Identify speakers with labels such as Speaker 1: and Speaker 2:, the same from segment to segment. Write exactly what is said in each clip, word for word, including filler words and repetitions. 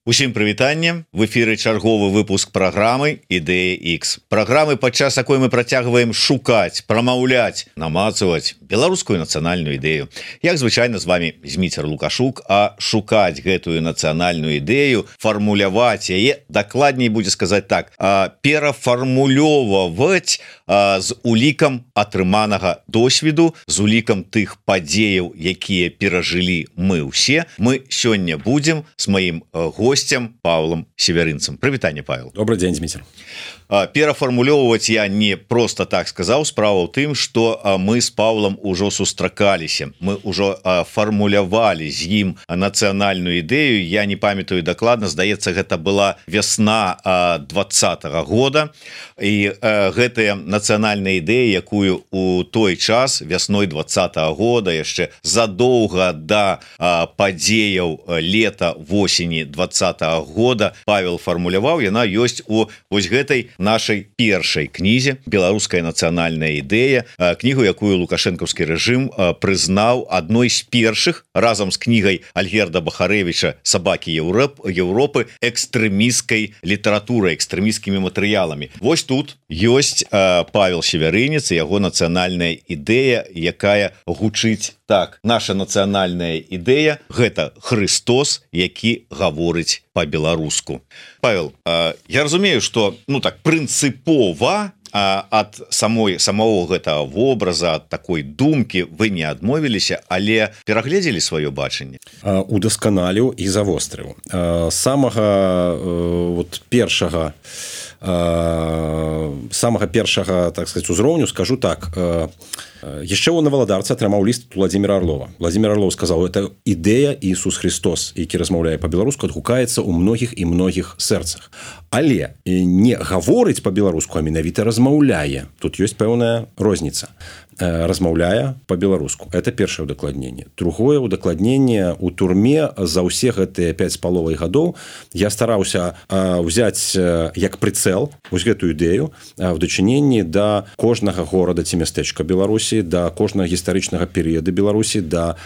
Speaker 1: Усім прывітанне, в эфіры чарговы выпуск праграмы Ідэя Х. Праграмы, падчас якой мы працягваем шукаць, прамаўляць, намацаваць беларускую нацыянальную ідэю. Як звычайна з вами Зміцер Лукашук, а шукаць гэтую нацыянальную ідэю, фармуляваць яе, дакладней будзе сказаць так, перафармулёваць з улікам атрыманага досведу, з улікам тых падзеяў, якія перажылі мы ўсе. Мы сёння будзем з маім гостем Павлом Северынцем. Прывітанне, Павел.
Speaker 2: Добрый день, Дмитрий.
Speaker 1: Перафармулёўваць я не просто так сказаў. Справа ў тым, што мы з Павлом ужо сустракаліся. Мы ўжо фармулявалі з ім нацыянальную ідэю. Я не памятаю дакладна, здаецца, гэта была вясна двадцатага года. І гэтая нацыянальная ідэя, якую у той час, вясной двадцатага года, яшчэ задоўга да падзеяў лета, восені двадцатага года Павел фармуляваў, яна ёсць у вось гэтай нашай першай кнізе «Беларуская нацыянальная ідэя», кнігу, якую лукашэнкаўскі рэжым прызнаў адной з першых разам з кнігай Альгерда Бахарэвіча «Сабакі Еўропы» экстрэмісцкай літаратурай, экстрэмісцкімі матэрыяламі. Вось тут ёсць Павел Северынец і яго нацыянальная ідэя, якая гучыць так: наша нацыянальная ідэя – гэта Христос, які гаворыць по-беларуску. Павел, я разумею, што ну так прынцыпова ад самой самого гэтага вобраза, ад такой думкі вы не адмовіліся, але перагледзелі сваё бачанне,
Speaker 2: удасканаліў і завострыў. Самага вот першага самага першага, так сказать, узроўню скажу так. Яшчэ ў Наваладарцы атрымаў ліст Владзіміра Арлова. Владзімір Арлов сказаў: это ідэя Ісус Христос, які размаўляе па-беларуску, адгукаецца ў многіх і многіх сэрцах. Але не гаворыць па-беларуску, а менавіта размаўляе. Тут ёсць пэўная розніца. Размаўляе па-беларуску. Это першае ўдакладненне. Другое ўдакладненне: у турме за ўсе гэтыя пяць з паловай гадоў я стараўся ўзяць як прыцэл вось гэтую ідэю в дачыненні да кожнага горада ці мястэчка Беларусі, да кожнага гістарычнага перыяда Беларусі, да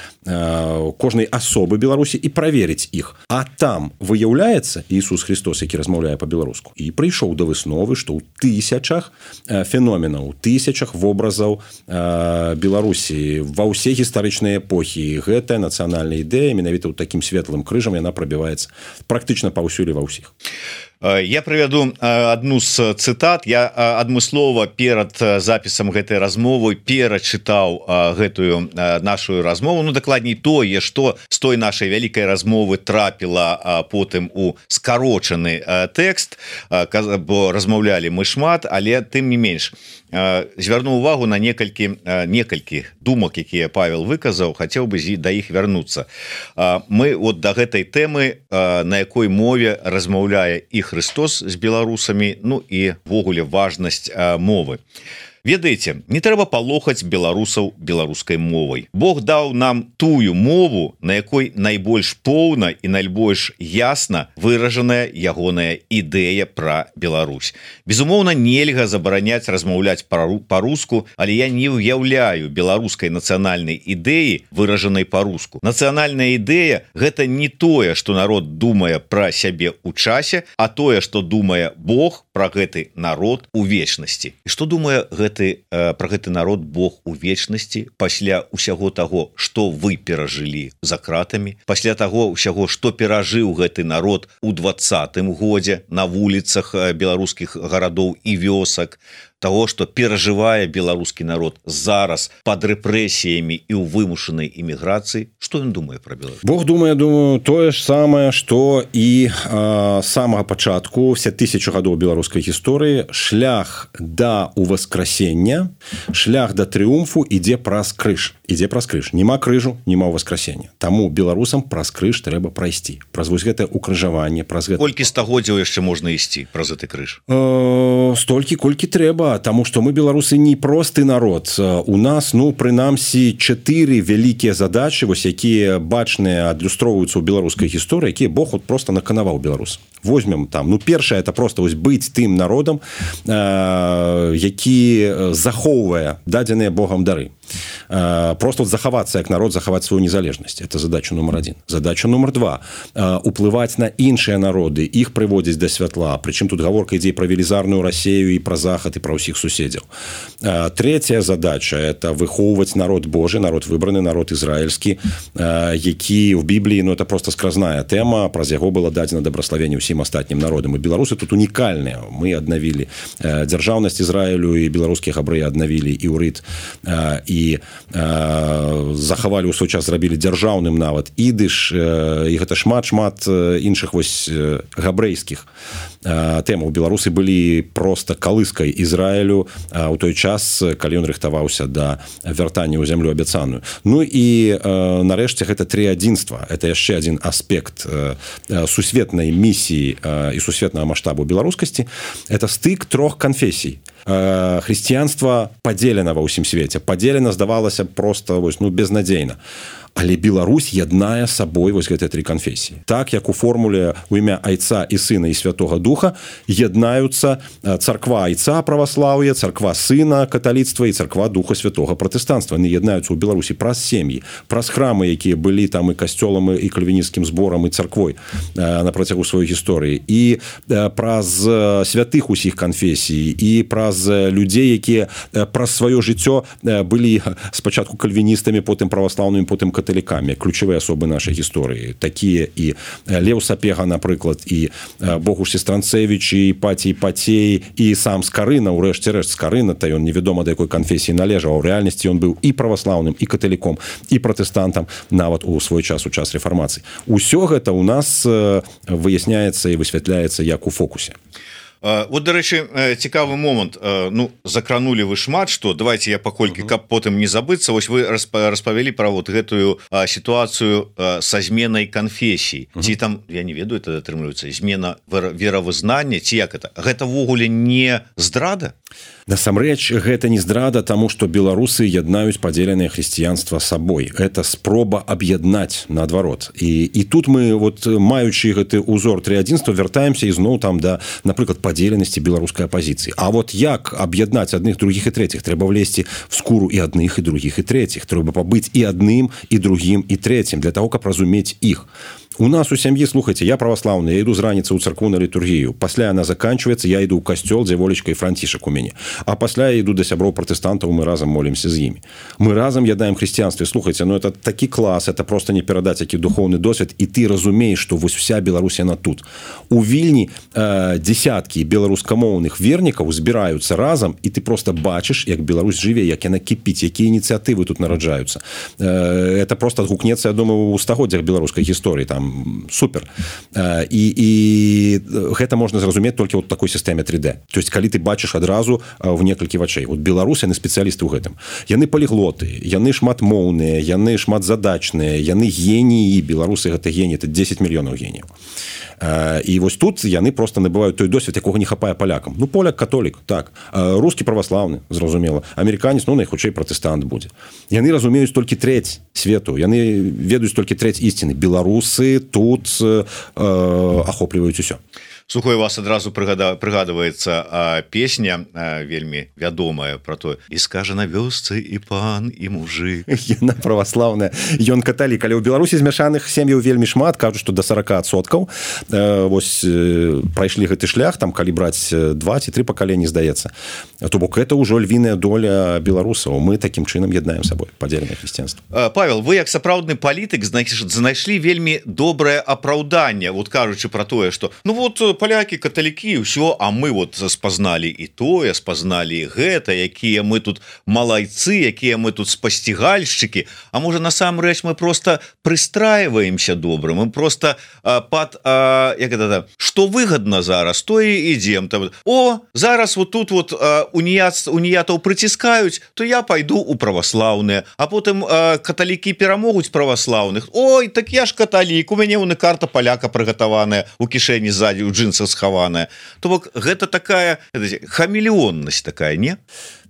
Speaker 2: кожнай асобы Беларусі і праверыць іх. А там выяўляецца Ісус Христос, які размаўляе па-беларуску. І прыйшоў да высновы, што ў тысячах феноменаў, тысячах вобразаў Беларусі ва ўсе гістарычныя эпохі гэтая нацыянальная ідэя менавіта ў такім светлым крыжам яна прабіваецца практычна паўсюль ва ўсіх.
Speaker 1: Я прывяду адну з цытат. Я адмыслова перад запісам гэтай размовы перачытаў гэтую нашу размову. Ну, дакладней тое, што з той нашай вялікай размовы трапіла потым у скарочаны тэкст, бо размаўлялі мы шмат, але тым не менш звярну увагу на некалькі некалькі думак, якія Павел выказаў, хацеў бы да іх вярнуцца. Мы от да гэтай тэмы, на якой мове размаўляе і Христос з беларусамі, ну і ввогуле важнасць мовы. Ведаеце, не трэба палохаць беларусаў беларускай мовай. Бог даў нам тую мову, на якой найбольш поўна і найбольш ясна выражаная ягоная ідэя пра Беларусь. Безумоўна, нельга забараняць размаўляць па-руску, але я не ўяўляю беларускай нацыянальнай ідэі, выражанай па-руску. Нацыянальная ідэя – гэта не тое, што народ думае пра сябе ў часе, а тое, што думае Бог пра гэты народ у вечнасці. І што думае гэты про гэты народ Бог у вечнасці пасля ўсяго таго, што вы перажылі за кратамі, пасля таго ўсяго, што перажыў гэты народ у двадцатым годзе на вуліцах беларускіх гарадоў і вёсак, того, што перажывае беларускі народ зараз пад рэпрэсіямі і ў вымушанай эміграцыі. Што ён думае пра Беларусь?
Speaker 2: Бог думае, думаю, тое ж самае, што і а, самага пачатку все тысячу гадоў беларускай гісторыі. Шлях да уваскрасення, шлях да трыумфу ідзе праз крыж. Ідзе праз крыж. Нема крыжу, нема ўваскрасення. Таму беларусам праз крыж трэба прайсці. Праз вось гэтае укрыжаванне, праз гэта...
Speaker 1: Колькі стагоддзяў яшчэ можна ісці праз гэты крыж?
Speaker 2: Э, столькі, колькі трэба. Таму што мы беларусы не просты народ. У нас, ну, прынамсі, чатыры вялікія задачы, вось якія бачныя адлюстроўваюцца ў беларускай гісторыі, якія Бог от просто наканаваў беларус. Возьмем там, ну, першае, это просто вось быць тым народам, э, які захоўвае дадзеныя Богам дары. просто вот захавацца як народ, захаваць сваю незалежнасць. Это задача нумар один. Задача нумар два уплываць на іншыя народы, іх прыводзіць да святла. Прычым тут гаворка ідзе пра велізарную Расею і пра захад і пра ўсіх суседзяў. Третья задача это выхоўваць народ Божий, народ выбраны, народ ізраильскі, які в Бібліі, ну это просто скразная тэма, праз яго было дадзена дабраславенне ўсім астатнім народам. І беларусы тут унікальныя. Мы аднавілі дзяржаўнасць Ізраілю, і беларускія габрэі аднавілі іўрыт, і захавалі ў свой час, зрабілі дзяржаўным нават ідыш, і гэта шмат-шмат іншых вось габрэйскіх тэмаў. Беларусы былі просто калыскай Ізраілю у той час, калі ён рыхтаваўся да вяртання ў зямлю абяцаную. Ну і нарэшце гэта трыадзінства. Это яшчэ адзін аспект сусветнай місіі і сусветнага маштабу беларускасці. Это стык трох канфесій. Хрысціянства падзелена ва ўсім свеце. Падзелена, здавалася, просто вось, ну, безнадзейна. Але Беларусь яднае сабой вось гэтыя тры канфесіі. Так, як у формуле ў імя Айца і Сына і Святога Духа яднаюцца царква Айца праваслаўя, царква Сына каталіцтва і царква Духа Святога пратэстанцтва. Яны яднаюцца ў Беларусі праз сем'і, праз храмы, якія былі там і касцёлам, і кальвінісцкім зборам, і царквой на працягу сваёй гісторыі, і праз святых усіх канфесій, і праз людзей, якія праз сваё жыццё былі спачатку кальвіністамі, потым праваслаўнымі, потым каталікамі, ключавыя асобы нашай гісторыі, такія і Леў Сапега, напрыклад, і Богуш Сестранцевич, і Іпатій Пацей, і сам Скарына, урэшце рэшт Скарына, та ён невядома да якой канфесіі належаў, а ў рэальнасці ён быў і праваслаўным, і каталіком, і пратэстантам, нават у свой час, у час рэфармацыі. Усё гэта ў нас выясняецца і высвятляецца як у фокусе.
Speaker 1: Вот, дарэчы, цікавы момант. Ну, закранули вы шмат што. Давайте я паколькі, каб потым не забыцца. Вось вы распавялі пра вот гэтую сітуацыю са зменай канфесій. Ці там, я не ведаю, это атрымліваецца змена веравызнання, ці як это? Гэта ввогуле не здрада?
Speaker 2: Насамрэч, гэта не здрада, таму што беларусы яднаюць падзеленае хрысціянства сабой. Это спроба аб'яднаць, наадварот. І, і тут мы, вот, маючы гэты узор трыадзінства, вяртаемся ізноў там да, напрыклад, падзеленасці беларускай апазіцыі. А вот як аб'яднаць адных, другіх і трэціх? Трэба влезці в скуру і адных, і другіх, і трэціх. Трэба пабыць і адным, і другім, і трэцім, для таго, каб разумець іх. У нас у сям'і, слухайте, я праваслаўны, я іду з раніцы ў царкву на літургію. Пасля яна заканчваецца, я іду ў касцёл, дзе Волечка і Францішак у мяне. А пасля я іду да сяброў пратэстантаў, мы разам молімся з імі. Мы разам яднаем хрысціянстве. Слухайте, ну это такі клас, это просто не перадаць які духоўны досвед, і ты разумееш, што вось вся Беларусь яна тут. У Вільні э, десяткі беларускамоўных вернікаў збіраюцца разам, і ты просто бачыш, як Беларусь жыве, як яна кіпіць, якія ініцыятывы тут нараджаюцца. Э, это просто адгукнецца, я думаю, у стагоддзях беларускай гісторыі, там супер. І, і гэта можна зразумець толькі ў такой сістэме три дэ. То есть, калі ты бачыш адразу в некалькі вачэй. Вот беларусы, яны спецыялісты ў гэтым. Яны паліглоты, яны шматмоўныя, яны шматзадачныя, яны геніі. Беларусы гэта геніі, это дзесяць мільёнаў геніяў. І вось тут яны просто набываюць той досвед, якога не хапае палякам. Ну, поляк католік, так. Рускі праваслаўны, зразумела. Амерыканец, ну, найхутчэй пратэстант будзе. Яны разумеюць толькі трэць свету. Яны ведаюць толькі трэць ісціны. Беларусы тут э, ахопліваюць усё.
Speaker 1: Сухой, вас адразу прыгада, прыгадваецца а, песня а, вельмі вядомая про то: і скажа на вёсцы і пан, і мужик.
Speaker 2: Яна праваслаўная, ён каталік. Але ў Беларусі змяшаных сем'яў вельмі шмат, кажуць, што да сорок адсоткаў э, вось э, прайшлі гэты шлях, там калі браць два ці тры пакаленні, здаецца. То бок это ўжо львіная доля беларусаў. Мы такім чынам яднаем сабой падзеленае хрысціянства.
Speaker 1: Павел, вы як сапраўдны палітык знайшлі вельмі добрае апраўданне, вот кажучы про тое, што ну вот палякі, каталікі, ўсё, а мы вот спазналі і тое, спазналі гэта, якія мы тут малайцы, якія мы тут спасцігальшчыкі. А можа, насамрэч мы просто прыстраиваемся добра, мы просто а, пад а, як это, што выгадна зараз, то і ідзем там. О, зараз вот тут вот а, уніят, уніятаў прыціскаюць, то я пайду у праваслаўныя, а потым а, каталікі перамогуць праваслаўных. Ой, так я ж каталік, у мяне вон і карта паляка прыгатаваная у кішэні ззаді, у джинсах схаваная. То бок гэта такая хамелеоннасць такая, не?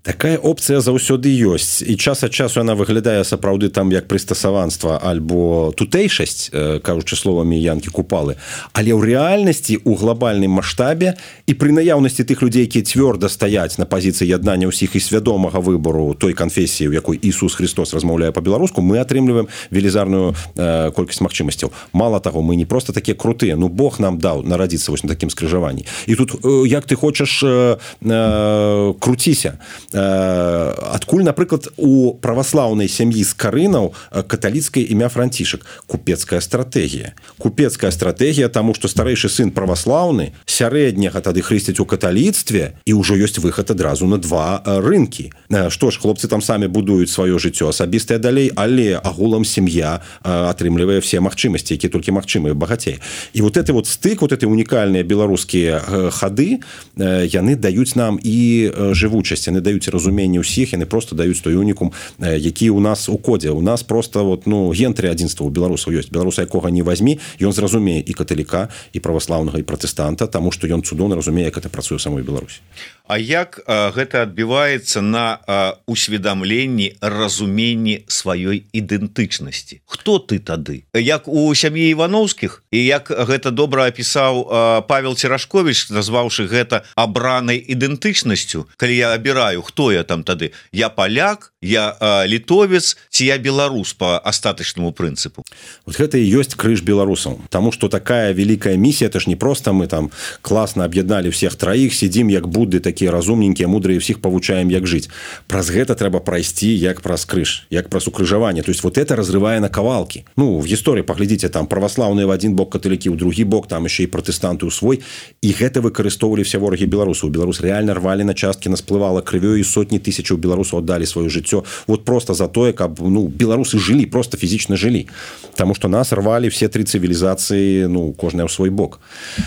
Speaker 2: Такая опцыя заўсёды ёсць і час ад часу яна выглядае сапраўды там як прыстасаванства альбо тутэйшасць, кажучы словамі Янкі Купалы, але ў рэальнасці у глобальным маштабе і пры наяўнасці тых людзей, якія цвёрда стаяць на пазіцыі яднання ўсіх і свядомага выбору той канфесіі, у якой Ісус Христос размаўляе па-беларуску, мы атрымліваем велізарную э, колькасць магчымасцяў. Мала таго, мы не просто такія крутыя, ну Бог нам даў нарадзіцца вось на такім скрыжаванні. І тут э, як ты хочаш э, э, круціся. Адкуль, напрыклад, у праваслаўнай сям'і з карынаў каталіцкае імя Францішак? Купецкая стратэгія. Купецкая стратэгія, таму што старэйшы сын праваслаўны, сярэдняга тады хрысцяць у каталіцтве, і ўжо ёсць выхад адразу на два рынкі. Што ж, хлопцы там самі будуюць сваё жыццё асабістае далей, але агулам сям'я атрымлівае все магчымасці, якія толькі магчымыя, багацей. І вот эти вот стык, вот эти унікальныя беларускія хады, яны даюць нам і жывучасць, яны даюць разуменне ўсіх, яны просто даюць той унікум, які у нас у кодзе. У нас просто вот, ну, ген трыадзінства у беларусаў ёсць. Беларуса якога не вазьмі, ён зразумее і каталіка, і праваслаўнага, і пратэстанта, таму што ён цудоўна разумее, як это працуе ў самой Беларусі.
Speaker 1: А як а, гэта адбіваецца на а, усведамленні, разуменні сваёй ідэнтычнасці? Хто ты тады? Як у сям'і Івановскіх, і як гэта добра апісаў а, Павел Церашковіч, назваўшы гэта абранай ідэнтычнасцю, калі я абіраю, хто я там тады? Я паляк, я а, літовец, ці я беларус по астатачнаму прынцыпу?
Speaker 2: Вот гэта і ёсць крыж беларусаў. Таму што такая вялікая місія, это ж не просто мы там класна аб'ядналі всех траіх, сидзім як Будды, такія разумненькія, мудрыя, всіх павучаем, як жыць. Праз гэта трэба прайсці як праз крыж, як праз укрыжаванне. То есть вот это разрывае на кавалкі. Ну, в гісторыі паглядзіце, там праваслаўныя в один бок, каталікі ў другі бок, там яшчэ і пратэстанты ў свой. І гэта выкарыстоўвалі все ворагі беларусаў. Беларус реально рвалі на часткі, насплывала крывёй, і сотні тысячаў беларусаў аддалі сваё жыццё. Вот просто за тое, каб, ну, беларусы жылі, просто фізічна жылі. Таму што нас рвалі все тры цывілізацыі, ну, кожная ў свой бок.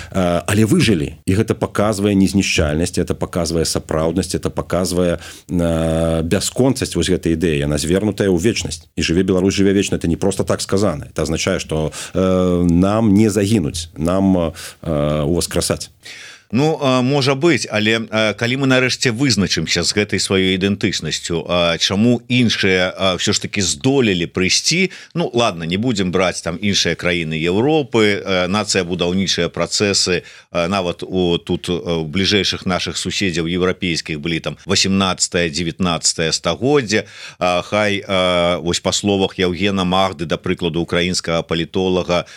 Speaker 2: Але выжылі. І гэта паказвае незнішчальнасць, это паказвае сапраўднасць, это паказвае бясконцасць вось гэтай ідэі. Яна звернутая ў вечнасць. І жыве Беларусь, жыве вечна. Это не просто так сказано. Это означае, што э, нам не загінуць, нам э, уваскрасаць.
Speaker 1: Ну, можа быць, але калі мы нарэшце вызначымся з гэтай сваёй ідэнтычнасцю, чаму іншыя ўсё ж таки здолелі прыйсці, ну ладно, не будзем браць там іншыя краіны Европы, нацыя будаўнічыя працэсы, нават у тут у бліжэйшых наших суседзяў еўрапейскіх былі там восемнадцатае девятнадцатае стагоддзе, хай вось па словах Яўгена Магды, да прыкладу украінскага палітолага,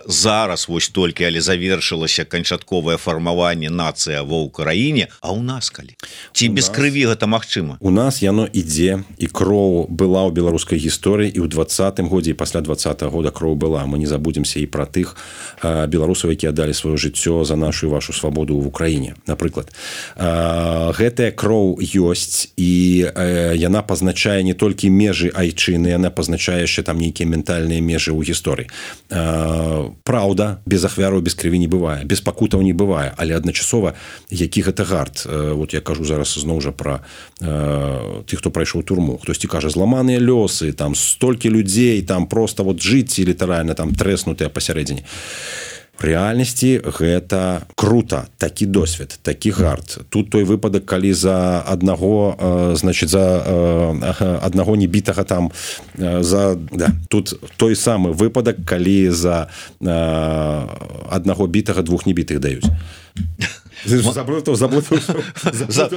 Speaker 1: зараз вось толькі, але завершылася канчатковае фармаванне нацыя ва ўкраіне, а у нас калі? Ці без крыві гэта магчыма?
Speaker 2: У нас яно ідзе, і кроў была ў беларускай гісторыі, і ў двадцатым годзе, і пасля двадцатага года кроў была. Мы не забудземся і пра тых а, беларусаў, якія аддалі сваё жыццё за нашу і вашу свабоду ў Украіне, напрыклад. А, гэтая кроў ёсць, і а, яна пазначае не толькі межы айчыны, яна пазначае яшчэ там нейкія ментальныя межы ў гісторыі. А, праўда, без ахвяраў, без крыві не бывае, без пакутаў не бывае, але адначасова, які гэта гарт. Вот я кажу зараз зноў жа пра э, тых, хто прайшоў турму. Хтосьці кажа, зламаныя лёсы, там столькі людзей, там просто вот жыць літаральна там трэснутыя пасярэдзіне. В рэальнасці гэта круто, такі досвед, такі гарт. Тут той выпадак, калі за аднаго, э, значит, за э, аднаго небітага там, э, за, да, тут той самы выпадак, калі за э, аднаго бітага двух небітых даюць. Заблытаў, заблытаў,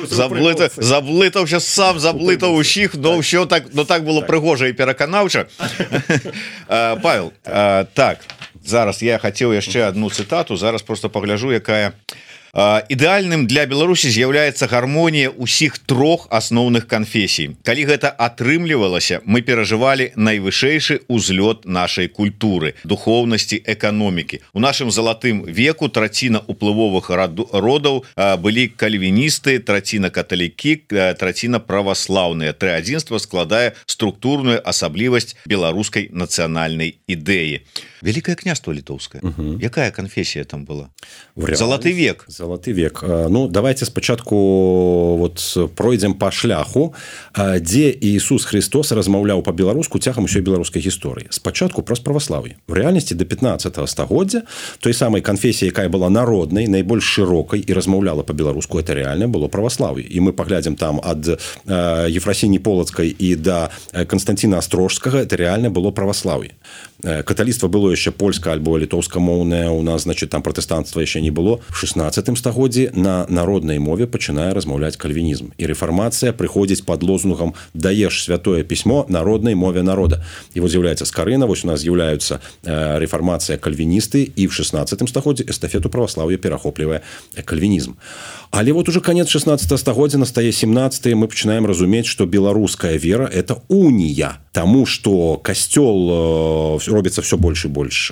Speaker 1: заблытаў, заблытаў, сейчас сам заблытаў усіх, но ўсё так, но так было прыгожа і пераканаўча. Павел, так, зараз я хацеў яшчэ одну цытату, зараз просто пагляжу, якая ідэальным для Беларусі з'яўляецца гармонія ўсіх трох асноўных канфесій. Калі гэта атрымлівалася, мы перажывалі найвышэйшы ўзлёт нашай культуры, духоўнасці, эканомікі. У нашым залатым веку траціна уплывовых родаў былі кальвіністы, траціна каталікі, траціна праваслаўныя. Трыадзінства складае структурную асаблівасць беларускай нацыянальнай ідэі. Великое княство літоўскае. Угу. Якая канфесія там была? Залаты век.
Speaker 2: Залаты век. Ну, давайте спачатку вот пройдзем по шляху, дзе Иисус Христос размаўляў по-беларуску цягам усёй беларускай гісторыі. Спачатку праз праваслаўе. В рэальнасці до пятнадцатого стагоддзя той самай канфесіі, якая была народнай, найбольш шырокай і размаўляла по-беларуску, это реально было праваслаўе. І мы паглядзім там ад Ефрасіні Полацкай і да Константина Астрожскага, это реально было праваслаўе. Каталіцтва было яшчэ польска альбо літоўска-моўнае, у нас, значит, там пратэстанцтва яшчэ не было. В шестнадцатым стагоддзі на народнай мове пачынае размаўляць кальвінізм. І рэфармацыя прыходзіць пад лозунгам «Даеш святое пісьмо народнай мове народа». І вот з'яўляецца Скарына, вось у нас з'яўляюцца рэфармацыя кальвіністы, і в шестнадцатым стагоддзі эстафету праваслаўя перахоплівае кальвінізм. Але вот уже конец шестнадцатого стагоддзя, настае семнадцатый, мы пачынаем разумець, што беларуская вера – это унія. Таму што касцёл робіцца все больш і больш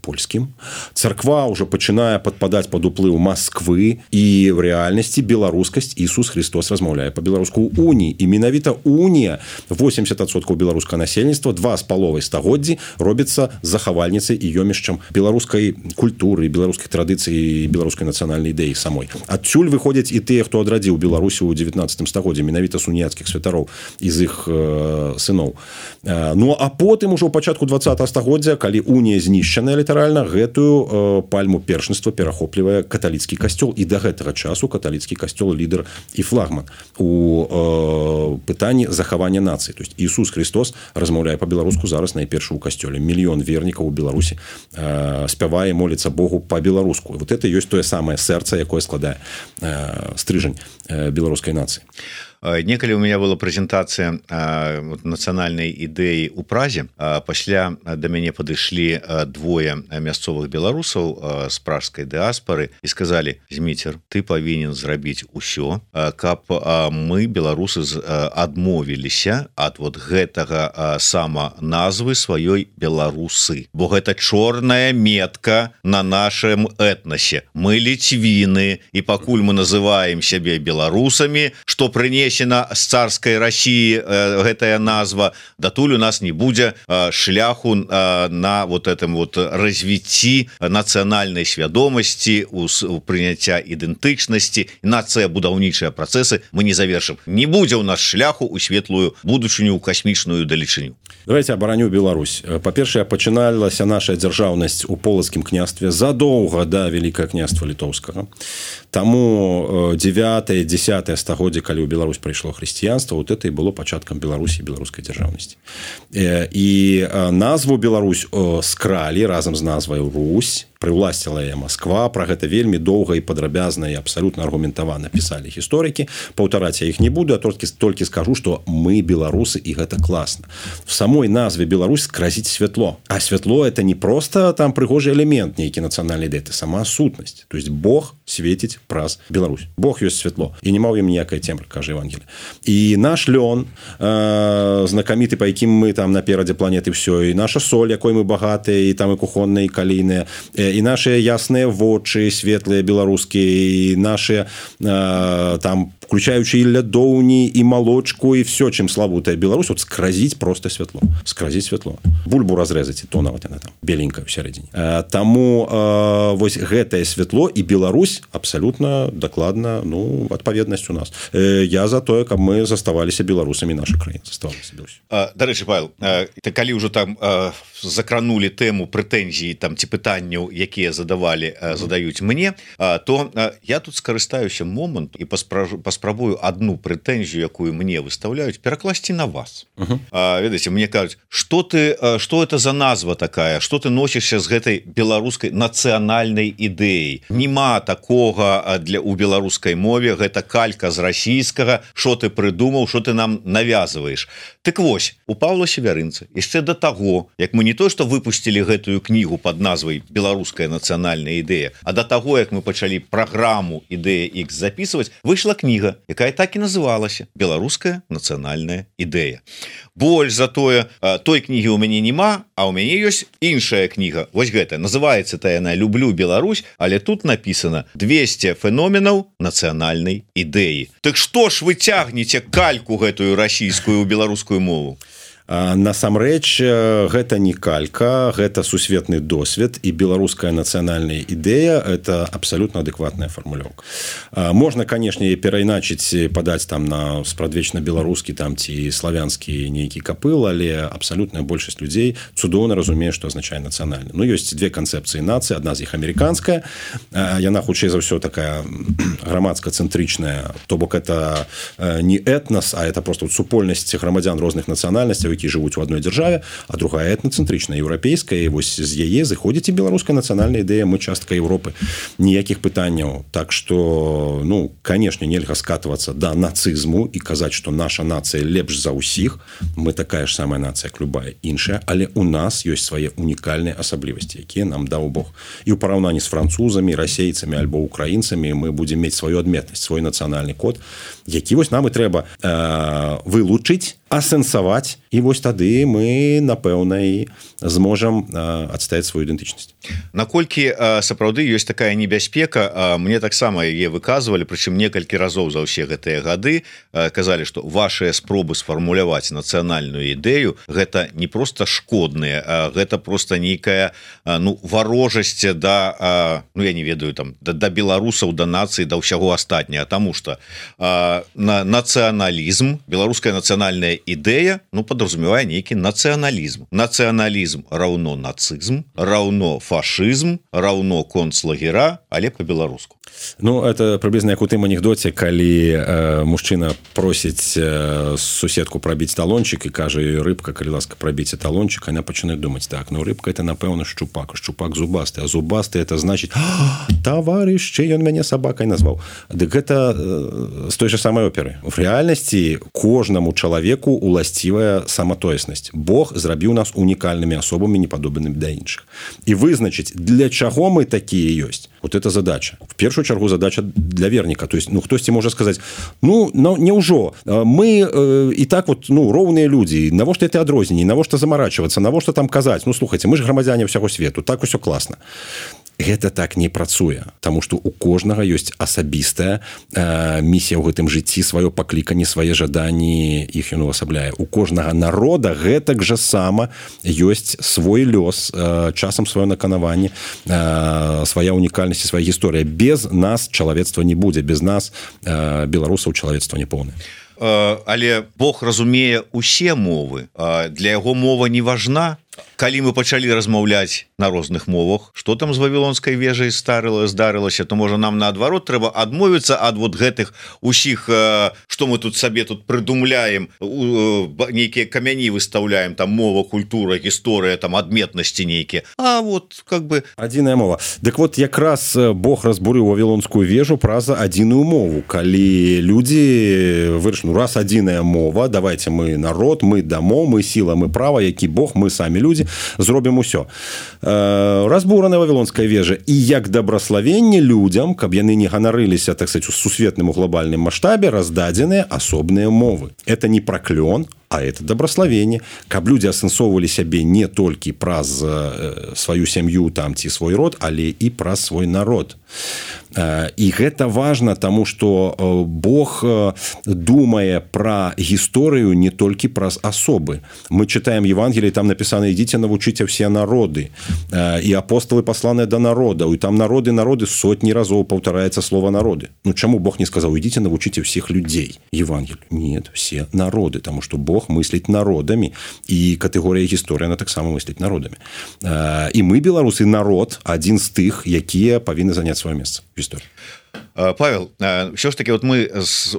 Speaker 2: польскім. Царква уже пачынае падпадаць пад уплыў Масквы, і в рэальнасці беларускасць Ісус Христос размаўляе па-беларуску ў уніі. І менавіта унія, восемьдесят адсоткаў беларускага насельніцтва, два з паловай стагоддзі робіцца захавальніцай і ёмішчам беларускай культуры, беларускай традыцыі і беларускай нацыянальнай ідэі самой. Адсюль выходзяць і тыя, хто адрадзіў Беларусі ў девятнадцатым стагоддзі, менавіта з уніяцкіх святароў і з іх э, сыноў. Э, ну а потым ужо ў пачатку двадцатага стагоддзя, калі унія знішчаная літаральна, гэтую э, пальму першынства перахоплівае каталіцкі касцёл, і да гэтага часу каталіцкі касцёл лідар і флагман у э, пытанні захавання нацыі. То есть Ісус Христос размаўляе па-беларуску зараз найперш у касцёле. Мільён вернікаў у Беларусі э, спявае, моліцца Богу па-беларуску. Вот это ёсць тое самае сэрца, якое складае стрыжань беларускай нацыі.
Speaker 1: Некалі у меня была прэзентацыя нацыянальнай ідэі ў Празе. Пасля да мяне падышлі двое мясцовых беларусаў з пражскай дыаспары і сказалі: Зміцер, ты павінен зрабіць усё, каб мы, беларусы, адмовіліся ад вот гэтага сама назвы сваёй беларусы, бо гэта чорная метка на нашым этнасе. Мы ліцвіны, і пакуль мы называем сябе беларусамі, што прынесена з царскай России э, гэтая назва, датуль у нас не будзе э, шляху э, на вот этом вот развіцці нацыянальнай свядомасці, у, у прыняцця ідэнтычнасці, нацыя будаўнічыя працэсы мы не завершым. Не будзе у нас шляху у светлую будучыню, у касмічную далечыню.
Speaker 2: Давайте абараню Беларусь. Па-першае, пачыналася наша дзяржаўнасць у полацкім княстве задоўга да Вялікае княства літоўскага. Таму девятое десятое стагоддзе, калі ў Беларусь прыйшло хрысціянства, вот это і было пачаткам Беларусі, беларускай дзяржаўнасці. І назву Беларусь скралі разам з назвай Русь, прыўласціла яе Масква. Пра гэта вельмі доўга і падрабязна і абсалютна аргументавана пісалі гісторыкі. Паўтараць я іх не буду, а толькі, толькі скажу, што мы беларусы, і гэта класна. В самой назве Беларусь скразіць святло. А святло это не просто там прыгожы элемент нейкі нацыянальнай ідэі, это сама сутнасць. То есть Бог свеціць праз Беларусь. Бог ёсць святло. І не маў ім ніякая цемра, кажа Евангелие. І наш лён, э, знакаміты, па якім мы там наперадзе планеты всё, і наша соль, якой мы багатыя, і там і кухонная, і калійная, і наши ясныя вочы, светлыя беларускія, і наши э, там, включаючи і лядоўні, і малочку, і все, чым славутая Беларусь, вот скразіць просто святло. Скразіць святло. Бульбу разрэзаць, і то нават яна там беленькая ў сярэдзіне. Э, таму э, вось гэтае святло і Беларусь абсалютна дакладна, ну, адпаведнасць у нас. Э, я за тое, каб мы заставаліся беларусамі, наша краіна заставалася Беларусь.
Speaker 1: Дарэчы, Павел, э, калі ўжо там э, закранули тэму прэтэнзій там ці пытанняў, якія задавалі э, задаюць мне, э, то э, я тут скарыстаюся момант і паспражу, паспрабую одну прэтэнзію, якую мне выставляюць, перакласці на вас. Uh-huh. э, ведаеце, мне кажуць, что ты, э, что это за назва такая, что ты носішся з гэтай беларускай нацыянальнай ідэяй. Нема такога для у беларускай мове, гэта калька з расійскага, что ты прыдумаў, что ты нам навязываешь. Так вось, у Павла Севярынца яшчэ до таго, як мы не то что выпустили гэтую кнігу под назвай «Беларуская нацыянальная ідэя», а до таго, як мы пачалі праграму «Ідэя X» записывать, выйшла кніга, якая так і называлася «Беларуская нацыянальная ідэя». Больш за тое, той кнігі у мяне нема, а у мяне ёсць іншая кніга. Вось гэта, называецца-то яна «Люблю Беларусь», але тут написано двести феноменаў нацыянальнай ідэі. Так што ж вы цягнеце кальку гэтую расійскую ў беларускую мову?
Speaker 2: насамрэч гэта не калька, гэта сусветны досвед, і беларуская нацыянальная ідэя это абсолютно адэкватная фармулёўка. Можна, канешне, перайначыць, падаць там на спрадвечна беларускі там ці славянскі нейкі капыл, але абсалютная большасць людзей цудоўна разумее, што азначае нацыянальны. Ну, ёсць две канцэпцыі нацыі, адна з іх амерыканская, яна хутчэй за ўсё такая грамадска-цэнтрычная, то бок это не этнос, а это просто супольнасць грамадзян розных нацыянальнасцяў, які жывуць у адной дзяржаве, а другая этнацэнтрычная, еўрапейская, і вось з яе зыходзіць і беларуская нацыянальная ідэя, мы частка Еўропы, ніякіх пытанняў. Так што, ну, канешне, нельга скатвацца да нацызму і казаць, што наша нацыя лепш за ўсіх, мы такая ж самая нацыя, як любая іншая, але у нас ёсць свае унікальныя асаблівасці, якія нам даў Бог. І ў параўнанні з французамі, расейцамі альбо украінцамі мы будзем мець сваю адметнасць, свой нацыянальны код, які вось нам і трэба э, вылучыць, асэнсаваць, і вось тады мы, напэўна, і зможам э, адстаяць сваю ідэнтычнасць.
Speaker 1: Наколькі э, сапраўды ёсць такая небяспека, э, мне таксама яе выказвалі, прычым некалькі разоў за ўсе гэтыя гады, э, казалі, што вашыя спробы сфармуляваць нацыянальную ідэю гэта не проста шкодныя, а гэта проста нейкая э, ну, варожасць да, э, ну я не ведаю, там да, да беларусаў, да нацыі, да ўсяго астатняга, таму што э, на нацыяналізм, беларуская нацыянальная ідэя, ну, подразумевае нейкі нацыяналізм. Нацыяналізм раўно нацызм, раўно фашызм, раўно концлагера, але по-беларуску.
Speaker 2: Ну, это приблизно як у тым анекдоце, калі э, мужчына просіць э, суседку прабіць талончик і кажа, рыбка, калі ласка, прабіце талончик, она пачынае думаць, так, ну, рыбка это, напэўна, шчупак, шчупак зубасты, а зубасты это значит, товарищ, ён мяне сабакай назваў. Дык гэта э, з той же самой оперы. В реальнасці кожнаму чалавеку уласцівая саматоеснасць. Бог зрабіў нас унікальнымі асобамі, непадобнымі да іншых. І вызначыць, для чаго мы такія ёсць. Вот это задача. В першую чаргу задача для верніка. То есть, ну, хтосьці можа сказаць, ну, няўжо, мы э, і так вот, ну, роўныя людзі, навошта это адрозненні, навошта замарачвацца, навошта там казаць, ну, слухайце, мы ж грамадзяне ўсяго свету, так усё класна. Гэта так не працуе, таму што у кожнага ёсць асабістая э, місія ў гэтым жыцці, сваё пакліканне, свае жаданні, іх ён увасабляе. У кожнага народа гэтак жа сама ёсць свой лёс, э, часам сваё наканаванне, э, свая унікальнасць і свая гісторыя. Без нас чалавецтва не будзе, без нас э, беларусаў чалавецтва не поўнае.
Speaker 1: Але Бог разумее усе мовы, для яго мова не важна. Калі мы пачалі размаўляць на розных мовах, што там з вавілонскай вежай старыла, здарылася, то можа нам наадварот трэба адмовіцца ад вот гэтых усіх, што мы тут сабе тут прыдумляем, нейкія камяні выстаўляем, там мова, культура, гісторыя, там адметнасці нейкія. А вот как бы
Speaker 2: адзіная мова. Дык вот якраз Бог разбурыў вавілонскую вежу праз адзіную мову. Калі людзі вырашылі, ну, раз адзіная мова, давайте мы народ, мы дамо, мы сіла, мы права, які Бог, мы самі людзі, зробім усё. Разбураная вавілонская вежа і як дабраславенне людзям, каб яны не ганарыліся, так сказать, у сусветным у глобальным маштабе, раздадзеныя асобныя мовы. Это не праклён, а это дабраславенне, каб людзі асэнсоўвалі сябе не толькі праз э, сваю сям'ю там ці свой род, але і праз свой народ. Э, і гэта важна, таму што э, Бог э, думае пра гісторыю не толькі праз асобы. Мы чытаем Евангелие, там напісана: ідзіце, навучыце ўсе народы. Э, і апостолы пасланыя да народаў, і там народы, народы сотні разоў паўтараецца слова народы. Ну чаму Бог не сказаў: ідзіце, навучыце ўсіх людзей? Евангелие. Нет, все народы, таму што Бог мысліць народамі, і катэгорыя гісторыя, она таксама мысліць народамі. І мы, беларусы, народ, адзін з тых, якія павінны заняць сваё месца в гісторыі.
Speaker 1: Павел, ўсё ж таки вот мы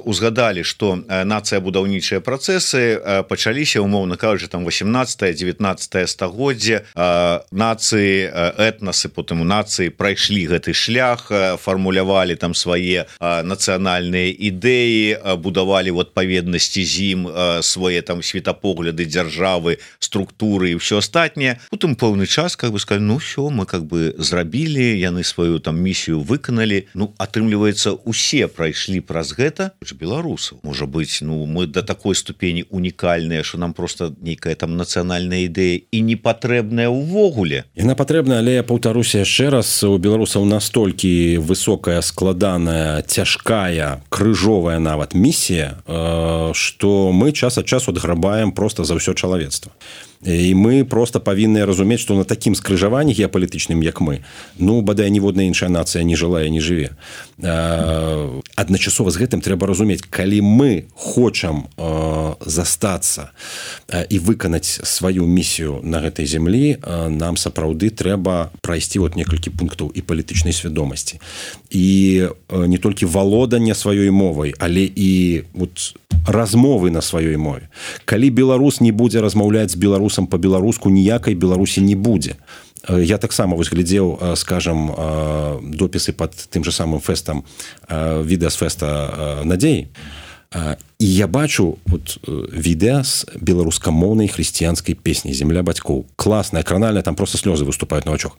Speaker 1: узгадалі, што нацыя будаўнічыя працэсы пачаліся, умоўна кажучы, там восемнадцатае-дзевятнаццатае стагоддзе, нацыі, этнасы, потым у нацыі прайшлі гэты шлях, фармулявалі там свае нацыянальныя ідэі, будавалі в адпаведнасці з ім свае там светапогляды, дзяржавы, структуры і ўсё астатняе. Потым пэўны час как бы сказали, ну ўсё, мы как бы зрабілі, яны сваю там місію выканалі, ну атрымліваецца атрымліваецца усе прайшлі праз гэта беларусаў. Можа быць, ну мы до такой ступені унікальныя, що нам просто нейкая там нацыянальная ідэя і не патрэбная ўвогуле.
Speaker 2: Яна патрэбна, але я паўтаруся яшчэ раз, у беларусаў настолькі высокая, складаная, цяжкая, крыжовая нават місія, што мы час ад часу адграбаем просто за ўсё чалавецтва. І мы просто павінны разумець, што на такім скрыжаванні геапалітычным, як мы, ну, бадай, ніводная іншая нацыя не жыла і не жыве. Адначасова з гэтым трэба разумець, калі мы хочам застацца і выканаць сваю місію на гэтай зямлі, нам сапраўды трэба прайсці вот некалькі пунктаў і палітычнай свядомасці. І не толькі валодання сваёй мовай, але і вот размовы на сваёй мове. Калі беларус не будзе размаўляць з беларусам по-беларуску, ніякай Беларусі не будзе. Я таксама вось глядзеў, скажам, допісы пад тым же самым фэстам, відэа з фэста «Надзеі». І я бачу вот, відэа з беларускамоўнай хрысціянскай песні «Земля бацькоў». Класная, кранальная, там просто слёзы выступаюць на вачах.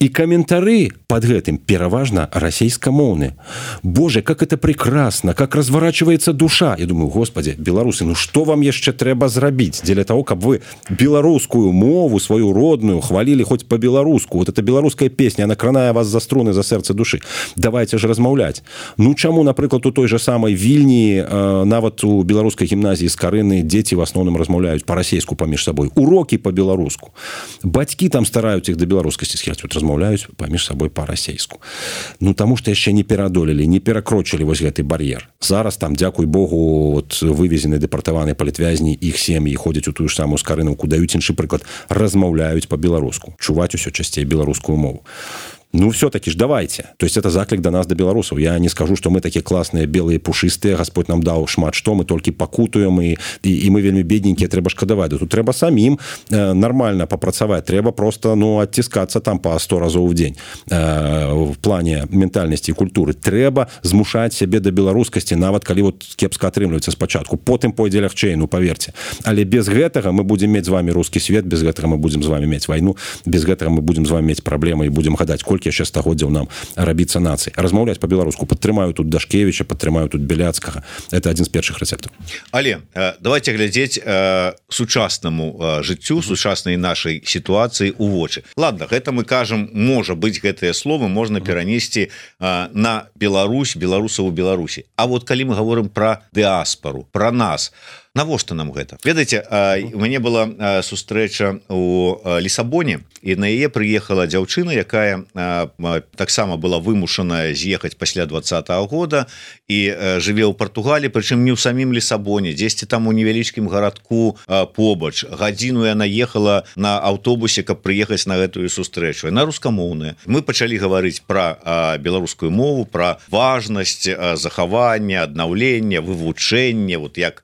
Speaker 2: И комментары под гэтым пераважна расейскомоўны. Боже, как это прекрасно, как разворачивается душа. Я думаю, господи, беларусы, ну что вам яшчэ трэба зрабіць для того, каб вы беларускую мову, свою родную, хвалили хоть по-беларуску. Вот эта беларуская песня, она кранае вас за струны, за сэрца душы. Давайте же размаўляць. Ну чаму, напрыклад, у той же самой Вільні, э, нават у беларускай гімназіі з Карыны дзеці в асноўным размаўляюць па-расейску паміж сабой. Урокі по-беларуску. Бацькі там стараюць іх да беларускасці схіляць. Вот размаўляюць паміж сабой па-расейску. Ну, таму што яшчэ не пераадолелі, не перакрочылі вось гэты бар'ер. Зараз там, дзякуй Богу, от, вывезены дэпартаваныя палітвязні, іх сем'і ходзяць у тую ж самую Скарынаўку, даюць іншы прыклад, размаўляюць па-беларуску, чуваць усё часцей беларускую мову. Ну, все-таки ж давайте. То есть это заклик до нас, до белорусов. Я не скажу, что мы такие классные, белые, пушистые. Господь нам дал шмат, что мы только покутуем, и, и, и мы вельми бедненькие, треба шкодовать. Тут треба самим э, нормально попрацовать. Треба просто, ну, оттискаться там по сто разов в день э, в плане ментальности и культуры. Треба змушать себе до белорусскости, нават калі вот кепска атрымліваецца спачатку. Потым пойдзе лягчэй, ну, поверьте. Але без гэтага мы будем мець з вами русский свет, без гэтага мы будем з вами мець войну, без гэтага мы будем з вами мець праблемы и будем гадаць, колькі яшчэ стагоддзяў нам рабіцца нацыі. Размаўляць па-беларуску. Падтрымаю тут Дашкевіча, падтрымаю тут Беляцкага. Это адзін з першых рэцэптаў.
Speaker 1: Але давайте глядзець э, сучаснаму э, жыццю, сучаснай нашай сітуацыі ў вочы. Ладно, гэта мы кажам, можа быць, гэтыя словы можна перанесці э, на Беларусь, беларусаў у Беларусі. А вот калі мы гаворым пра дыаспару, пра нас, навошта нам гэта? Ведаеце, у мяне была сустрэча у Лісабоне, і на яе прыехала дзяўчына, якая таксама была вымушаная з'ехаць пасля двадцатага года і жыве ў Партугаліі, прычым не ў самім Лісабоне, дзесьці там у невялічкім гарадку побач. Гадзіну яна ехала на аўтобусе, каб прыехаць на гэтую сустрэчу. Яна рускамоўная. Мы пачалі гаварыць пра беларускую мову, пра важнасць захавання, аднаўлення, вывучэння, вот як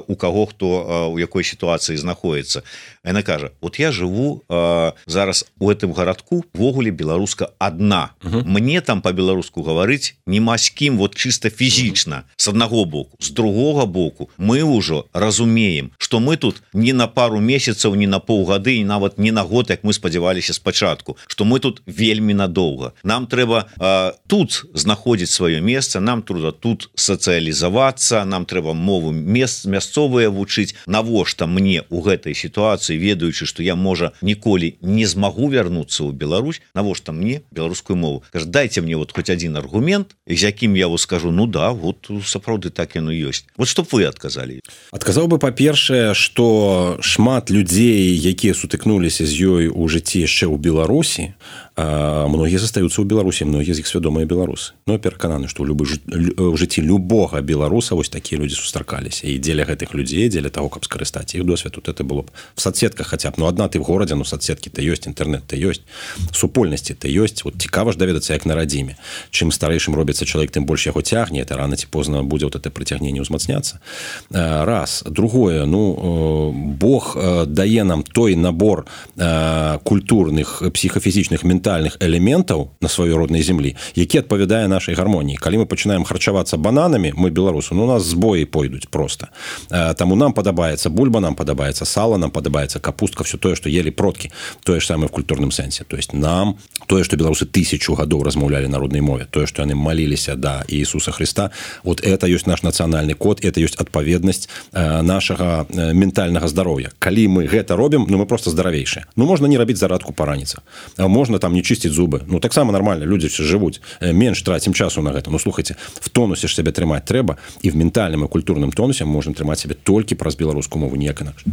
Speaker 1: у каго хто у якой сітуацыі знаходіцца. Яна кажа, вот я жыву э, зараз у гэтым гарадку, ввогуле беларуска адна. Uh-huh. Мне там по-беларуску гаварыць нема з кім, вот чыста фізічна, uh-huh. з аднаго боку. З другога боку мы ўжо разумеем, што мы тут не на пару месяцаў, не на паўгады, і нават не на год, як мы спадзяваліся спачатку, што мы тут вельмі надоўга. Нам трэба э, тут знаходзіць сваё месца, нам трэба тут сацыялізавацца, нам трэба мову мест, мясцовыя вучыць. Навошта мне у гэтай сітуацыі, ведаючы, што я, можа, ніколі не змагу вярнуцца ў Беларусь, навошта мне беларускую мову? Кажа, дайце мне вот хоць адзін аргумент, з якім я вас скажу, ну да, вот сапраўды так яно ёсць. Вот што б вы адказалі?
Speaker 2: Адказаў бы, па-першае, што шмат людзей, якія сутыкнуліся з ёй у жыцці яшчэ ў Беларусі, а многія застаюцца ў Беларусі, многія з іх свядомыя беларусы. Ну, я перакананы, што ў любы ў жыцці любога беларуса вось такія людзі сустракаліся. І дзеля гэтых людзей, дзеля таго, каб скарыстаць іх досвед, тут это было б в соцсетках хотя б, ну, адна ты в горадзе, ну, соцсеткі-то ёсць, інтэрнэт-то ёсць, супольнасці-то ёсць. Вот цікава ж даведацца, як на радзіме. Чым старэйшым робіцца чалавек, тым больш яго цягне, это рана ці позна будзе вот это прыцягненне ўзмацняцца. Раз. Другое, ну, Бог дае нам той набор культурных, псіхафізічных, ментальных фундаментальных элементаў на сваёй роднай землі, які адпавядае нашай гармоніі. Калі мы пачынаем харчавацца бананамі, мы беларусы, ну у нас збоі пойдуць просто. Таму нам падабаецца бульба, нам падабаецца сала, нам падабаецца капустка, все тое, што елі продкі, тое ж самае в культурным сэнсе. То есть нам тое, што беларусы тысячу гадоў размаўлялі на роднай мове, тое, што яны маліліся да Иисуса Христа, вот это ёсць наш нацыянальны код, это ёсць адпаведнасць нашага ментальнага здароўя. Калі мы гэта робім, ну мы просто здаравейшыя. Ну можна не рабіць зарадку па раніцах, можна там не чысціць зубы, ну таксама нормально, людзі все жывуць, менш трацім часу на гэта. Ну слухайте, в тонусе ж сябе трымаць трэба, і в ментальным і культурным тонусе мы можем трымаць сябе толькі праз беларускую мову, ніяк інакш.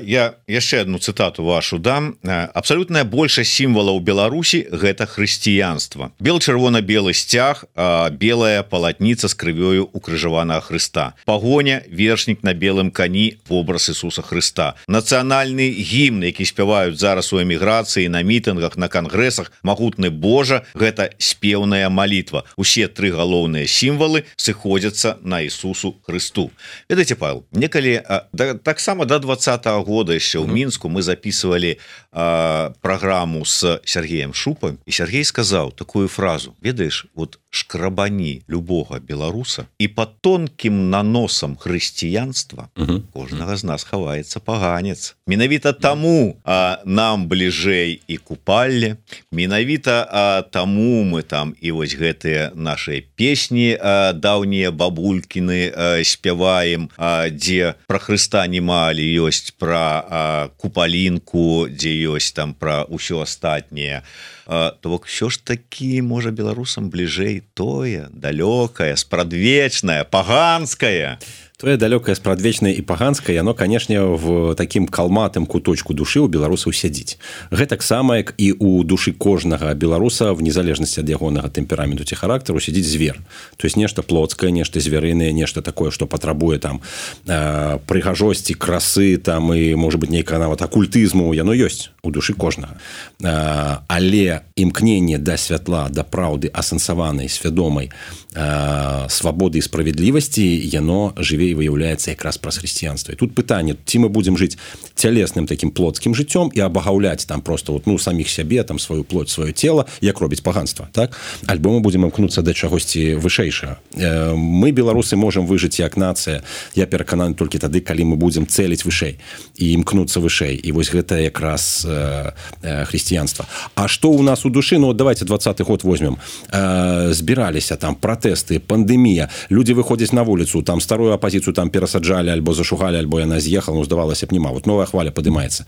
Speaker 1: Я яшчэ одну цытату вашу дам. Абсалютная большасць сімвалаў Беларусі гэта хрысціянства. Бел-чырвона-белы сцяг, белая палатніца з крывёю укрыжаванага Хрыста. Пагоня, вершнік на белым кані, вобраз Ісуса Хрыста. Нацыянальны гімн, які спяваюць зараз у эміграцыі, на мітынгах, на кангрэсах, магутны Божа, гэта спеўная малітва. Усе тры галоўныя сімвалы сыходзяцца на Ісусу Хрысту. Ведаеце, Павел, некалі да, таксама до двадцатого года яшчэ ў Мінску мы записывали а, праграму с Сергеем Шупом, і Сергей сказаў такую фразу: ведаеш, вот шкрабані любога беларуса, і под тонкім наносам хрысціянства uh-huh. кожнага з нас хаваецца паганец. Менавіта таму а, нам бліжэй і купалле, менавіта а, таму мы там і вось гэтыя нашыя песні а, даўнія бабулькіны а, спяваем, а, дзе пра Хрыста немалі ёсць, пра а, купалінку, дзе ёсць там пра ўсё астатняе. То бок все ж таки можа беларусам бліжэй тое далёкае, спрадвечнае, паганскае.
Speaker 2: Тое далёкае, спрадвечнае і паганскае, яно, канешне, в такім калматым куточку душы ў беларусаў сядзіць. Гэтак сама, як і ў душы кожнага беларуса, в незалежнасці ад ягонага тэмпераменту ці характару, сядзіць звер. То есть нешта плотскае, нешта звярынае, нешта такое, што патрабуе там э, прыгажосці, красы там і, можа быць, нейкага нават акультызму, яно ёсць у душы кожнага. Э, але імкненне да святла, да праўды, асэнсаванай, свядомай э, свабоды і справядлівасці, яно жыве і выяўляецца якраз праз хрысціянства. І тут пытанне, ці мы будзем жыць цялесным такім плотскім жыццём і абагаўляць там просто вот, ну, саміх сябе, там сваю плоть, сваё цела, як робіць паганства, так? Альбо мы будзем імкнуцца да чагосьці вышэйшага. Э, мы, беларусы, можам выжыць як нацыя, я перакананы толькі тады, калі мы будзем цэліць вышэй і імкнуцца вышэй. І вось гэта якраз э, э, хрысціянства. А што ў нас у душы? Ну, вот давайте двадцаты год возьмем. Э, збіраліся там пратэсты, пандэмія, людзі выходзяць на вуліцу, там старую апазіцыю там перасаджалі, альбо зашугалі, альбо яна з'ехала, ну, здавалася б, нема. Вот новая хваля падымаецца.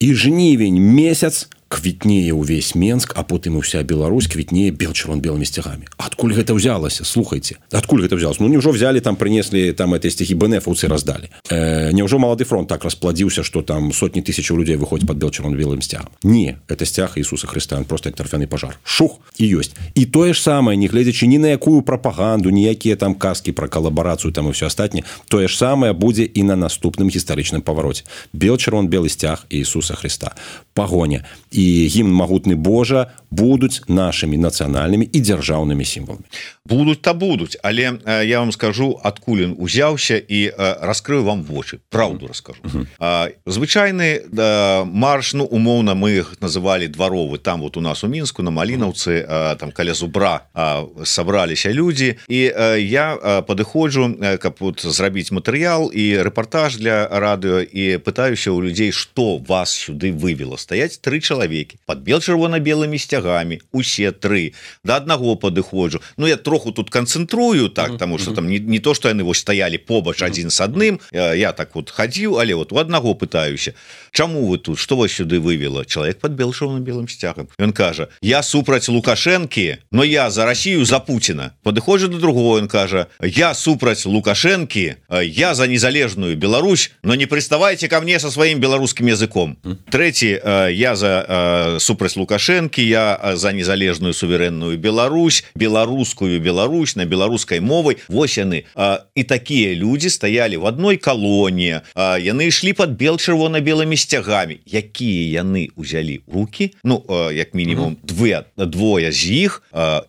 Speaker 2: І жнівень месяц квітнее ўвесь Менск, а потым і ўся Беларусь квітнее бел-чырвон-белымі сцягамі. Адкуль гэта ўзялася? Слухайце. Адкуль гэта ўзялася? Ну, няўжо взялі, там прынеслі там эти сцягі бэнэфаўцы раздалі. Э, няўжо малады фронт так распладзіўся, што там сотні тысячаў людзей выходзяць пад бел-чырвон-белым сцягам? Не, это сцяг Ісуса Хрыста, он просто як тарфяны пажар. Шух, і ёсць. І тое ж самае, не гледзячы ні на якую прапаганду, ніякія там казкі пра калабарацыю там і ўсё астатняе, тое ж самае будзе і на наступным гістарычным павароце. Бел-чырвон-белы сцяг Ісуса Хрыста. Пагоня і гімн магутны Божа будуць нашымі нацыянальнымі і дзяржаўнымі сімваламі.
Speaker 1: Будуць та будуць, але э, я вам скажу, адкуль ён узяўся, і э, раскрыю вам вочы, правду раскажу. Uh-huh. э, звычайны э, марш, ну умоўна мы іх называлі дваровы, там вот у нас у Мінску на Малінаўцы, э, там каля Зубра э, сабраліся людзі, і э, я э, падыходжу, э, каб вот зрабіць матэрыял і рэпартаж для радыё, і пытаюся ў людзей, што вас сюды вывела. Стаяць тры чалавекі под бел-чырвона-белымі сцягамі, усе тры, да аднаго падыходжу. Ну я троху тут канцэнтрую, так, uh-huh. таму што там не, не то, што яны вось стаялі побач адзін з адным, я, я так вот хадзіў, але вот у аднаго пытаюся, чаму вы тут, што вас сюды вывела? Чалавек под бел-чырвона-белым сцягам. Ён кажа: я супраць Лукашэнкі, но я за Расію, за Пуціна. Падыходжу до другого, ён кажа: я супраць Лукашэнкі, я за незалежную Беларусь, но не приставайте ко мне со сваім беларускім языком. Uh-huh. Трэці, я за супраць Лукашэнкі, я за незалежную суверэнную Беларусь, беларускую Беларусь на беларускай мовай. Вось яны. І такія людзі стаялі в адной калоніі, яны ішлі под бел-чырвона-белымі сцягамі. Якія яны ўзялі рукі? Ну, як мінімум двое, двое з іх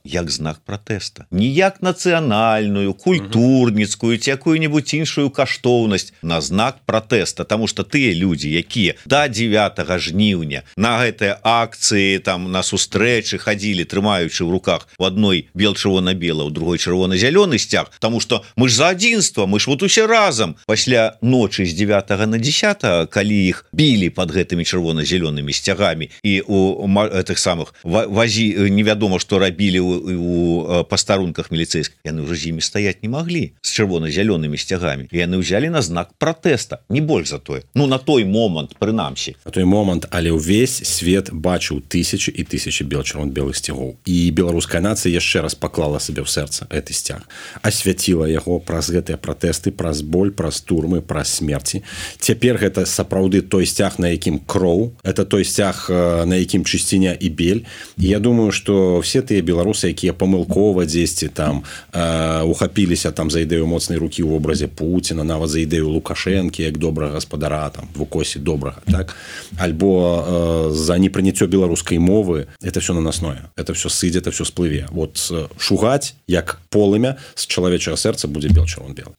Speaker 1: як знак пратэста. Не як нацыянальную, культурніцкую ці якую-небудзь іншую каштоўнасць, на знак пратэста. Таму што тыя людзі, якія да дзевятага жніўня на гэтыя акцыі там на сустрэчы хадзілі, трымаючы ў руках у адной бел-чырвона-бела, у другой чырвона-зялёны сцяг, потому что мы ж за адзінства, мы ж вот усе разам. Пасля ночы з дзевятага на дзесятае, калі іх білі под гэтымі чырвона-зялёнымі сцягамі і у гэтых самых вазі невядома што рабілі у, у пастарунках міліцэйскіх, яны ўжо з імі стаяць не маглі з чырвона-зялёнымі сцягамі, і яны ўзялі на знак пратэста, не больш за тое, ну на той момант прынамсі
Speaker 2: на той момант, але ўвесь свет бачыў тысячи і тысячи бел-чырвона-белых сцягоў, і беларуская нацыя яшчэ раз паклала сабе ў сэрца гэты сцяг, асвяціла яго праз гэтыя пратэсты, праз боль, праз турмы, праз смерці. Цяпер гэта сапраўды той сцяг, на якім кроў, это той сцяг, на якім чысціня і бель. І я думаю, што все тыя беларусы, якія памылкова дзесьці там э, ухапіліся там за ідэю моцнай рукі ў вобразе Пуціна, нават за ідэю Лукашэнкі як добрага гаспадара там в укосе добрага, так, альбо э, за непрыняццё беларускай мовы, это все наносное, это все сыдзе, это все сплыве. Вот э, шугаць як полымя з чалавечага сэрца будзе бел-чырвон-белы.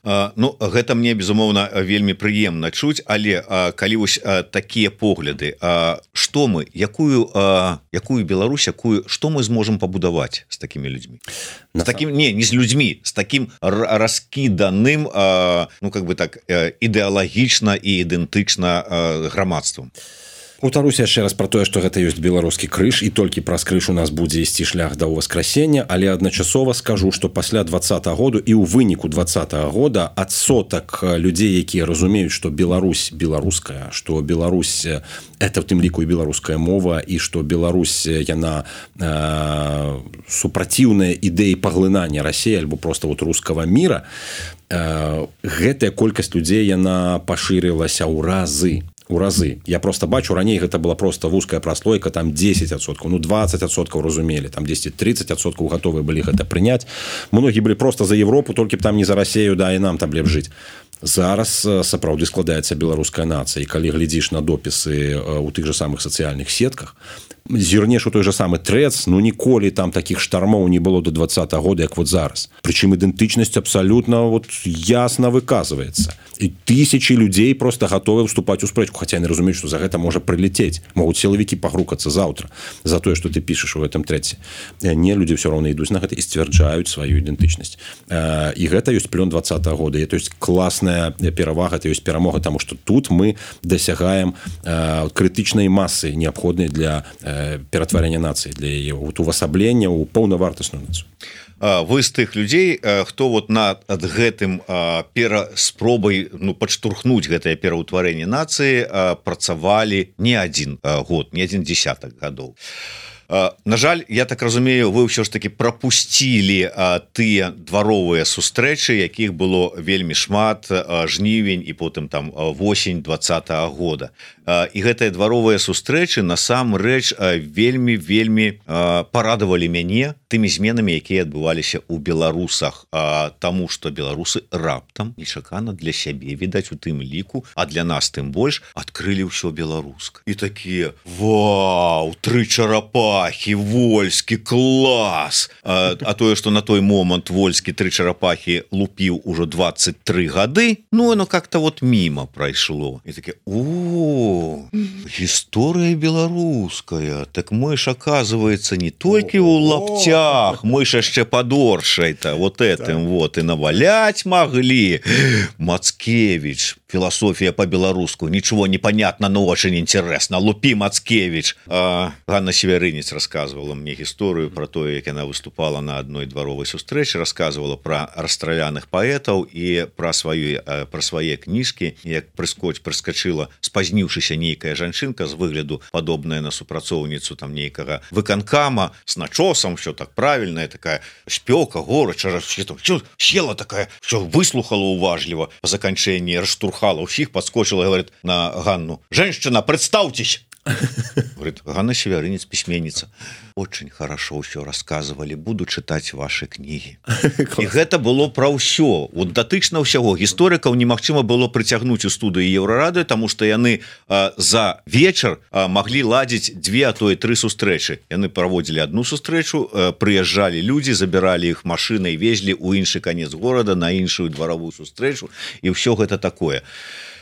Speaker 1: Ну гэта мне безумоўна вельмі прыемна чуць, але а, калі вось а, такія погляды, а, што мы, якую а, якую Беларусь, якую што мы зможам пабудаваць з такімі людзьмі, з такім не не з людзьмі, з такім раскіданым а, ну как бы так ідэалагічна і ідэнтычна грамадствам.
Speaker 2: Паўтаруся яшчэ раз пра тое, што гэта ёсць беларускі крыж, і толькі праз крыж у нас будзе ісці шлях да ўваскрасення, але адначасова скажу, што пасля двадцатага году і ў выніку двадцатага года адсотак людзей, якія разумеюць, што Беларусь беларуская, што Беларусь это в тым ліку і беларуская мова, і што Беларусь яна э, супраціўная ідэі паглынання Расіі альбо просто вот рускага міра, э, гэтая колькасць людзей яна пашырылася ў разы. у разы. Я просто бачу, раней гэта была просто вузкая праслойка, там десять адсоткаў, ну двадцать адсоткаў разумелі, там десять тридцать адсоткаў гатовыя былі гэта прыняць. Многія былі просто за Европу, толькі б там не за Расею, да, і нам там лепш жыць. Зараз сапраўды складаецца беларуская нацыя, і калі глядзіш на допісы у тых же самых сацыяльных сетках, зірнеш у той же самы Трэц, ну ніколі там такіх штармоў не было до двадцатага года, як вот зараз. Прычым ідэнтычнасць абсалютна вот ясна выказваецца. І тысячи людзей просто гатовы вступаць у спрэчку, хаця яны разумеюць, што за гэта можа прылецець. Могуць сілавікі пагрукацца заўтра за тое, што ты пішаш у гэтым Трэце. Не, людзі ўсё роўна ідуць на гэта і сцвярджаюць сваю ідэнтычнасць. І гэта ёсць плён двадцатага года. І то есть класная перавага, это ёсць перамога, таму што тут мы дасягаем крытычнай масы, неабходнай для ператварэння нацыі, для яе увасаблення ў паўнавартасную нацыю.
Speaker 1: Вы з тых людзей, хто вот над гэтым пераспробай ну, падштурхнуць гэтае пераўтварэнне нацыі працавалі не адзін год, не адзін дзесятак гадоў. На жаль, я так разумею, вы ўсё ж таки прапусцілі тыя дваровыя сустрэчы, якіх было вельмі шмат, жнівень і потым там восень двадцатага года. І гэтыя дваровыя сустрэчы насамрэч вельмі вельмі парадавалі мяне тымі зменамі, якія адбываліся ў беларусах, таму што беларусы раптам нечакана для сябе, відаць, у тым ліку, а для нас тым больш адкрылі ўсё беларуска. І такія: вау, тры чарапахі, Вольскі, клас! А, а тое, што на той момант Вольскі тры чарапахі лупіў ужо двадцать три гады, ну, оно как-то вот мимо прайшло. І такі: о, гісторыя беларуская, так мы ж, оказывается, не толькі ў лаптях, мы ж яшчэ падоршай-то вот этим вот и наваляць маглі. Мацкевич, философия по-белоруску, ничего не понятно, но очень интересно. Лупи, Мацкевич. А, Ганна Северинец рассказывала мне историю про то, как она выступала на одной дворовой сустрэчы, рассказывала про расстраляных поэтов и про свои, про свои книжки. Як прыскоч прыскочила, спазніўшыся нейкая жанчынка з выгляду падобная на супрацоўніцу там нейкага выканкама с начосом, все так правильная, такая шпёка, горача, села такая, все выслухала уважливо по заканчэнні, раштурхала ўсіх, подскочила и говорит на Ганну: «Женщина, представьтесь!» Говорит: «Ганна Северинец, письменница. Очень хорошо все рассказывали, буду читать ваши книги». И гэта было про ўсё. Вот датычна ўсяго. Гісторыкаў немагчыма было прыцягнуць у студыю Еўрарады, таму што яны а, за вечар а, маглі ладзіць две, а то і тры сустрэчы. Яны праводзілі одну сустрэчу, а, прыязджалі людзі, забіралі іх машынай, везлі ў іншы канец горада на іншую дваровую сустрэчу, і ўсё гэта такое.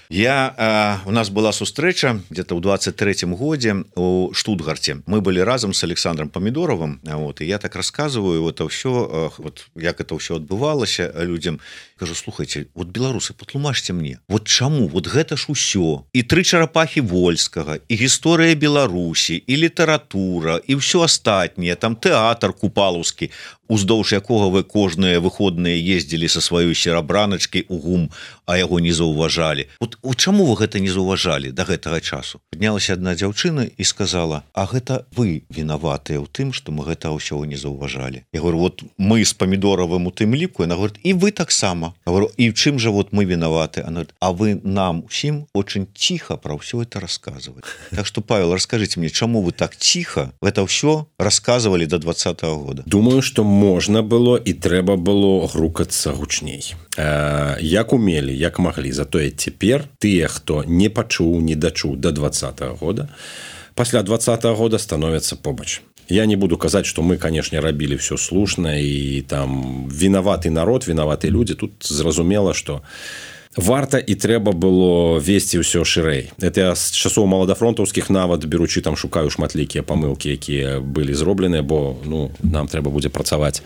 Speaker 1: Я э, у нас была сустрэча где-то ў двадцать третьем годзе у Штутгарце. Мы были разам с Александром Помидоровым, вот, и я так рассказываю это все, э, вот як это все адбывалася людям. Кажу, слухайте, вот беларусы, патлумачьте мне, вот чаму, вот гэта ж усё, і тры чарапахі Вольскага, і гісторыя Беларусі, і літаратура, і ўсё астатняе, там тэатр купалаўскі, уздоўж якога вы кожныя выходныя ездзілі са сваёй серабраначкай у ГУМ, а яго не заўважалі. Вот, вот чаму вы гэта не заўважалі да гэтага часу? Паднялася адна дзяўчына і сказала, а гэта вы вінаватыя ў тым, што мы гэта ўсё не заўважалі. Я говорю, вот мы з Помидоровым у тым ліку, она говорит, і вы таксама. Я говорю, і в чым же вот мы виноваты? Она говорит, а вы нам усім очень тихо про все это рассказывать. Так что, Павел, расскажите мне, чему вы так тихо это все рассказывали до двадцатого года?
Speaker 2: Думаю, что можно было и трэба было грукаться гучней. Э, як умели, як могли. Затое теперь тыя, хто не пачуў, не дачуў до двадцатого года, пасля двадцатого года становятся побач. Я не буду казаць, что мы, конечно, рабілі все слушна и там виноваты народ, виноваты люди. Тут зразумела, что варта і трэба было весці ўсё шырэй. Это я з часоў маладафронтаўскіх нават беручы там шукаю шматлікія памылкі, якія былі зробленыя, бо ну нам трэба будзе працаваць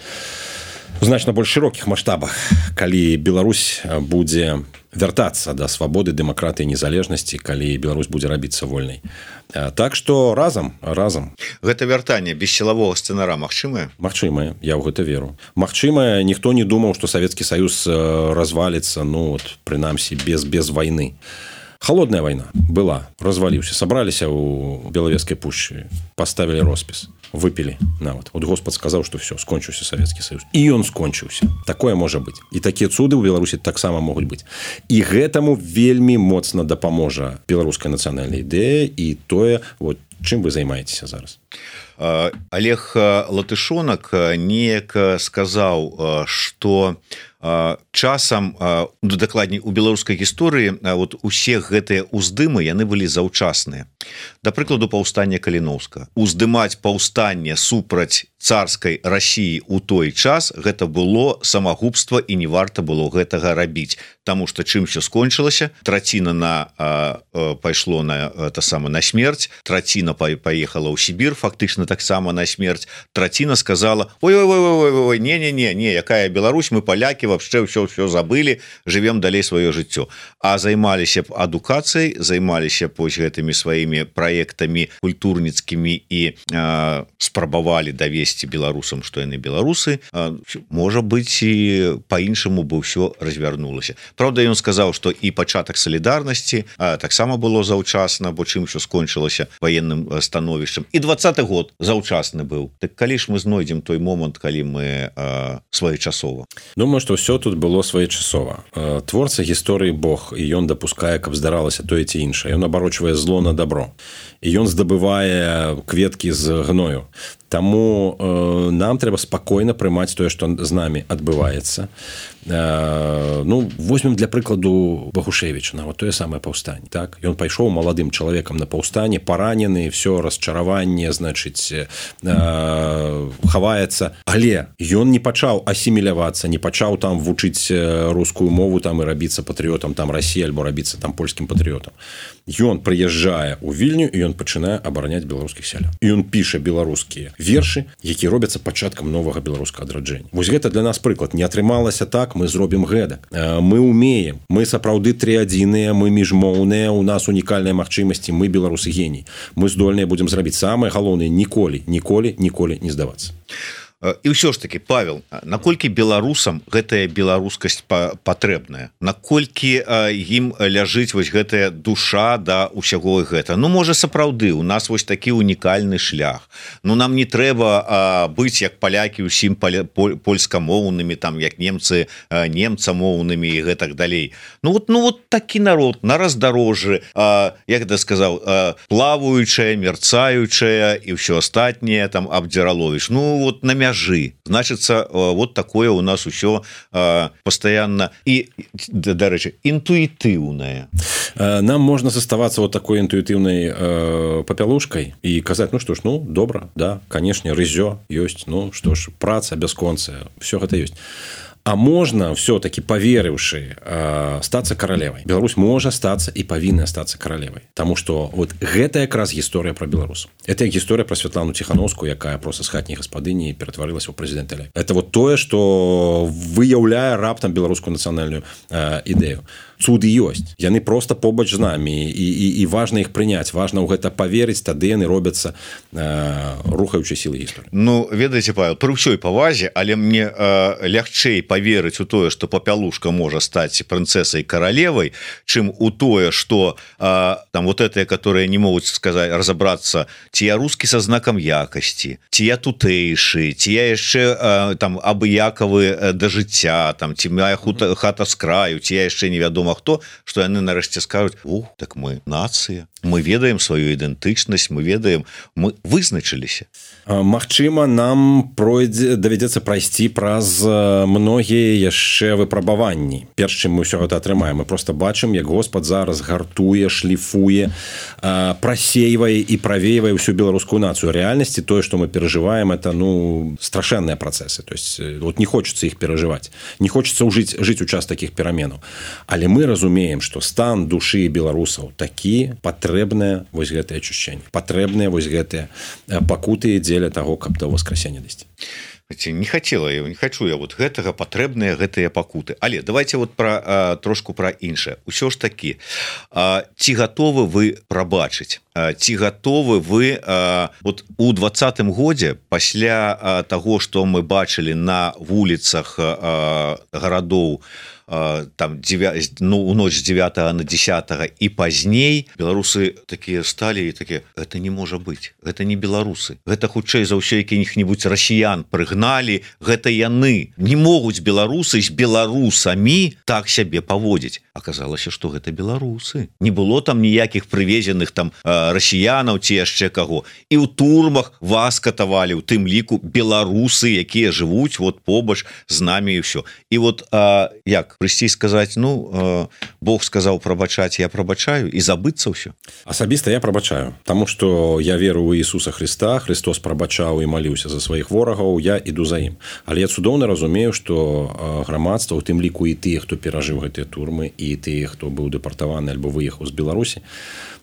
Speaker 2: у значна больш шырокіх маштабах, калі Беларусь будзе вяртацца да свабоды, дэмакратыі, незалежнасці, калі Беларусь будзе рабіцца вольнай. Так што разам, разам.
Speaker 1: Гэта вяртанне без сілавога сцэнара магчымае?
Speaker 2: Магчымае, я ў гэта веру. Магчымае, ніхто не думаў, што Савецкі Саюз разваліцца, ну, вот, прынамсі, без, без вайны. Холодная война была, разваліўся, сабраліся ў Белавежскай пушчы, поставілі роспіс, выпілі нават. Вот Господ сказаў, што все, скончыўся Савецкі Саюз. І ён скончыўся. Такое можа быць. І такія цуды ў Беларусі таксама могуць быць. І гэтаму вельмі моцна дапаможа беларуская нацыянальная ідэя і тое, вот, чым вы займаецеся зараз.
Speaker 1: Олег Латышонак неяк сказаў, што часам, дакладней у беларускай гісторыі, вот усе гэтыя ўздымы яны былі заўчасныя. Да прыкладу, паўстання Каліноўскага. Уздымаць паўстанне супраць царскай Расіі ў той час гэта было самагубства і не варта было гэтага рабіць, таму што чым все скончылася, траціна на а, а, пайшло на это сама на смерць, траціна паехала ў Сібір, фактычна таксама на смерць, траціна сказала, ой-ой-ой, не-не-не, не, якая Беларусь, мы палякі, вообще все все забылі, живем далей сваё жыццё. А займаліся б адукацыяй, займаліся б вось гэтымі сваімі праектамі культурніцкімі і а, спрабавалі давесці беларусам, што яны беларусы, а, можа быць і по-іншаму бы ўсё развярнулася. Правда, ён сказаў, што і пачатак салідарнасці таксама было заўчасна, бо чым що скончылася ваенным становішчам. І двадцаты год заўчасны быў. Так калі ж мы знойдзем той момант, калі мы а, своечасова?
Speaker 2: Думаю, што ўсё тут было своечасова. Творца гісторыі Бог, і ён дапускае, каб здаралася тое ці іншае. Ён абарочвае зло на добро. І ён здабывае кветкі з гною. Таму э, нам трэба спакойна прымаць тое, што з намі адбываецца. Э, ну, возьмем для прыкладу Багушевіча, нават тое самае паўстанне. Так? Ён пайшоў маладым чалавекам на паўстанне, паранены, все расчараванне, значыць, э, хаваецца. Але ён не пачаў асімілявацца, не пачаў там вучыць рускую мову там, і рабіцца патрыётам там Расіі, альбо рабіцца там польскім патрыётам. Ён прыязджае ў Вільню, і ён пачынае абараняць беларускіх сялян. І ён піша беларускія вершы, якія робяцца пачаткам новага беларускага адраджэння. Вось гэта для нас прыклад. Не атрымалася так, мы зробім гэтак. Мы умеем, мы сапраўды трыадзіныя, мы міжмоўныя, у нас унікальныя магчымасці, мы беларусы геній. Мы здольныя будзем зрабіць самае галоўнае, ніколі, ніколі, ніколі не здавацца.
Speaker 1: І ўсё ж таки, Павел, наколькі беларусам гэтая беларускасць патрэбная, наколькі ім ляжыць вось гэтая душа да ўсяго гэта? Ну, можа, сапраўды у нас вось такі унікальны шлях. Ну, нам не трэба быць як палякі ўсім польскамоўнымі, там як немцы немцамоўнымі і гэтак далей. Ну вот, ну вот такі народ на раздарожжы, як это сказаў, плаваючая, мерцаючая і ўсё астатняе там абдзіраловіш. Ну вот на мяжы. Значыцца, вот такое у нас усё постоянно і, дарэчы, інтуітыўнае.
Speaker 2: Нам можна заставацца вот такой інтуітыўнай э, папялушкай і казаць, ну што ж, ну, добра, да, канешне, рызё ёсць, ну, што ж, праца бясконцая, все гэта ёсць. а можна все-таки поверыўшы э, стацца каралевай. Беларусь можа стацца і павінна стацца каралевай, Таму что вот гэта якраз гісторыя про беларусаў. Это гісторыя про Святлану Тихановскую, якая просто з хатняй гаспадыні ператварылася ў прэзідэнта. Это вот тое, что выяўляе раптам беларускую нацыянальную э, ідэю. Цуды ёсць, яны просто побач з намі, і, і, і важна іх прыняць, важна ў гэта поверыць, тады яны робяцца э, рухаючай сілы гісторыі.
Speaker 1: Ну, ведаеце, Павел, пры ўсёй павазе, але мне э, лягчэй поверыць у тое, што Папялушка можа стаць прынцэсай каралевай, чым у тое, што э, там вот этыя, которые не могуць сказаць, разабрацца, ці я рускі са знакам якасці, ці я тутэйшы, ці я яшчэ э, там абыякавы э, да жыцця, там ці моя хута, хата з краю, ці я яшчэ невядома хто, што яны нарэшце скажуць: "О, так мы нацыя, мы ведаем сваю ідэнтычнасць, мы ведаем, мы вызначыліся".
Speaker 2: Магчыма, нам пройдзе давядзецца прайсці праз многія яшчэ выпрабаванні. Перш чым мы ўсё гэта атрымаем, мы просто бачым, як Господ зараз гартуе, шліфуе, прасейвае і правейвае ўсю беларускую нацыю. Рэальнасці тое, што мы перажываем, это ну страшэнныя працэсы. То есть вот не хочется іх перажываць, не хочется ўжыць жыць у час такіх пераменаў. Але мы разумеем, што стан душы беларусаў такі, патрэбнае вось гэтае ачушчэнне, патрэбныя вось гэтыя пакуты дзеля таго, каб да воскресення дайсці.
Speaker 1: Не хотела я, не хочу я вот гэтага, патрэбныя гэтыя пакуты. Але давайте вот про а, трошку про іншае. Усё ж такі, а, ці гатовы вы прабачыць, а, ці гатовы вы а, вот у двадцатым годзе пасля а, таго, што мы бачылі на вуліцах а, гарадоў там девять, ну, у ноч з дзевятага на дзесятае і пазней, беларусы такія сталі і такія: "Это не можа быць, гэта не беларусы, гэта хутчэй за ўсё якіх-небудзь расіян прыгналі, гэта яны, не могуць беларусы з беларусамі так сябе паводзіць". Аказалася, што гэта беларусы, не было там ніякіх прывезеных там расіянаў ці яшчэ каго, і ў турмах вас катавалі, у тым ліку беларусы, якія жывуць вот побач з намі, і ўсё. І вот а, як прыйсці сказаць: "Ну, э, Бог сказаў прабачаць, я прабачаю", і забыцца ўсё?
Speaker 2: Асабіста я прабачаю, таму што я веру ў Ісуса Христа, Христос прабачаў і маліўся за сваіх ворагаў, я іду за ім. Але я цудоўна разумею, што грамадства, у тым ліку і тыя, хто перажыў гэтыя турмы, і тыя, хто быў дэпартаваны альбо выехаў з Беларусі,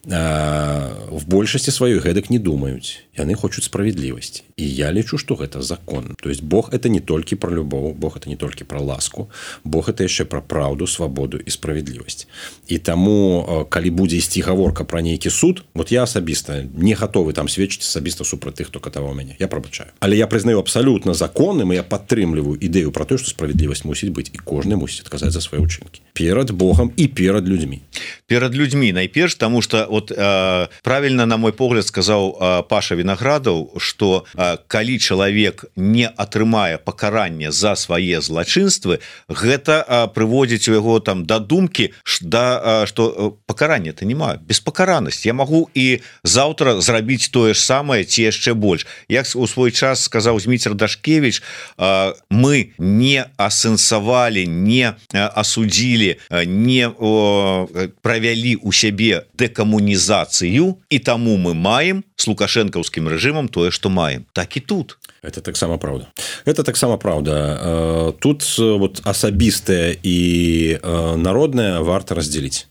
Speaker 2: в большасці сваёй гэтак не думаюць. Яны хочуць справядлівасці. І я лічу, што гэта закон. То есть Бог это не толькі про любоў, Бог это не толькі про ласку, Бог это яшчэ про праўду, свабоду і справядлівасць. І таму, калі будзе ісці гаворка про нейкі суд, вот я асабіста не гатовы там сведчыць асабіста супраць тых, хто катаваў мяне. Я прабачаю. Але я прызнаю абсалютна законным, і я падтрымліваю ідэю про тое, што справядлівасць мусіць быць, і кожны мусіць адказаць за свае ўчынкі перад Богом і перад людзьмі.
Speaker 1: Перад людзьмі найперш, таму што вот э, правильно, на мой погляд, сказаў э, Паша Вінаградаў, што э, калі чалавек не атрымае пакаранне за свае злачынствы, гэта э, прыводзіць у яго там да думкі, да, э, што э, пакарання то няма, беспакаранасць. Я магу і заўтра зрабіць тое ж самае ці яшчэ больш. Як у свой час сказаў Зміцер Дашкевіч, э, мы не асэнсавалі, не асудзілі, не о, правялі у сябе дэкамунізацыю, і таму мы маем с лукашэнкаўскім рэжымам тое, што маем. Так і тут.
Speaker 2: Это таксама праўда. Это таксама праўда. Тут вот асабістае і народнае варта раздзеліць.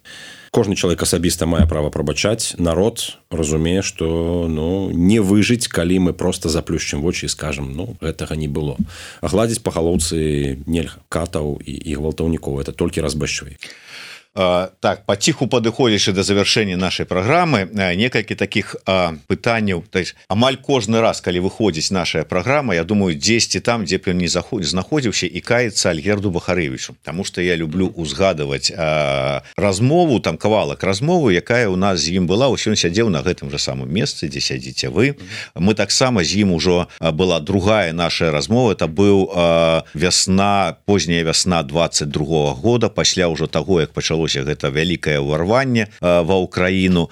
Speaker 2: Кожны чалавек асабіста мае права прабачаць. Народ разумее, што ну, не выжыць, калі мы просто заплюшчым вочы і скажам: ну, гэтага не было. А гладзіць па галоўцы нельга. Катаў і, і гвалтаўнікоў. Это толькі разбэшчвае.
Speaker 1: Так, паціху падыходзячы да завяршэння нашай праграмы, некалькі такіх а, пытанняў. То есть, амаль кожны раз, калі выходзіць наша праграма, я думаю, дзесьці там, дзе б ён не знаходзіўся, і каецца Альгерду Бахарэвічу, таму што я люблю узгадываць а, размову, там кавалак размовы, якая у нас з ім была. Усё ён сядзеў на гэтым жа самым месцы, дзе сядзіце вы. Мы таксама з ім ужо была другая наша размова. Это быў а, вясна, позняя вясна двадцать другого года, пасля ўжо таго, як пачало гэта вялікае ўварванне ва ўкраіну.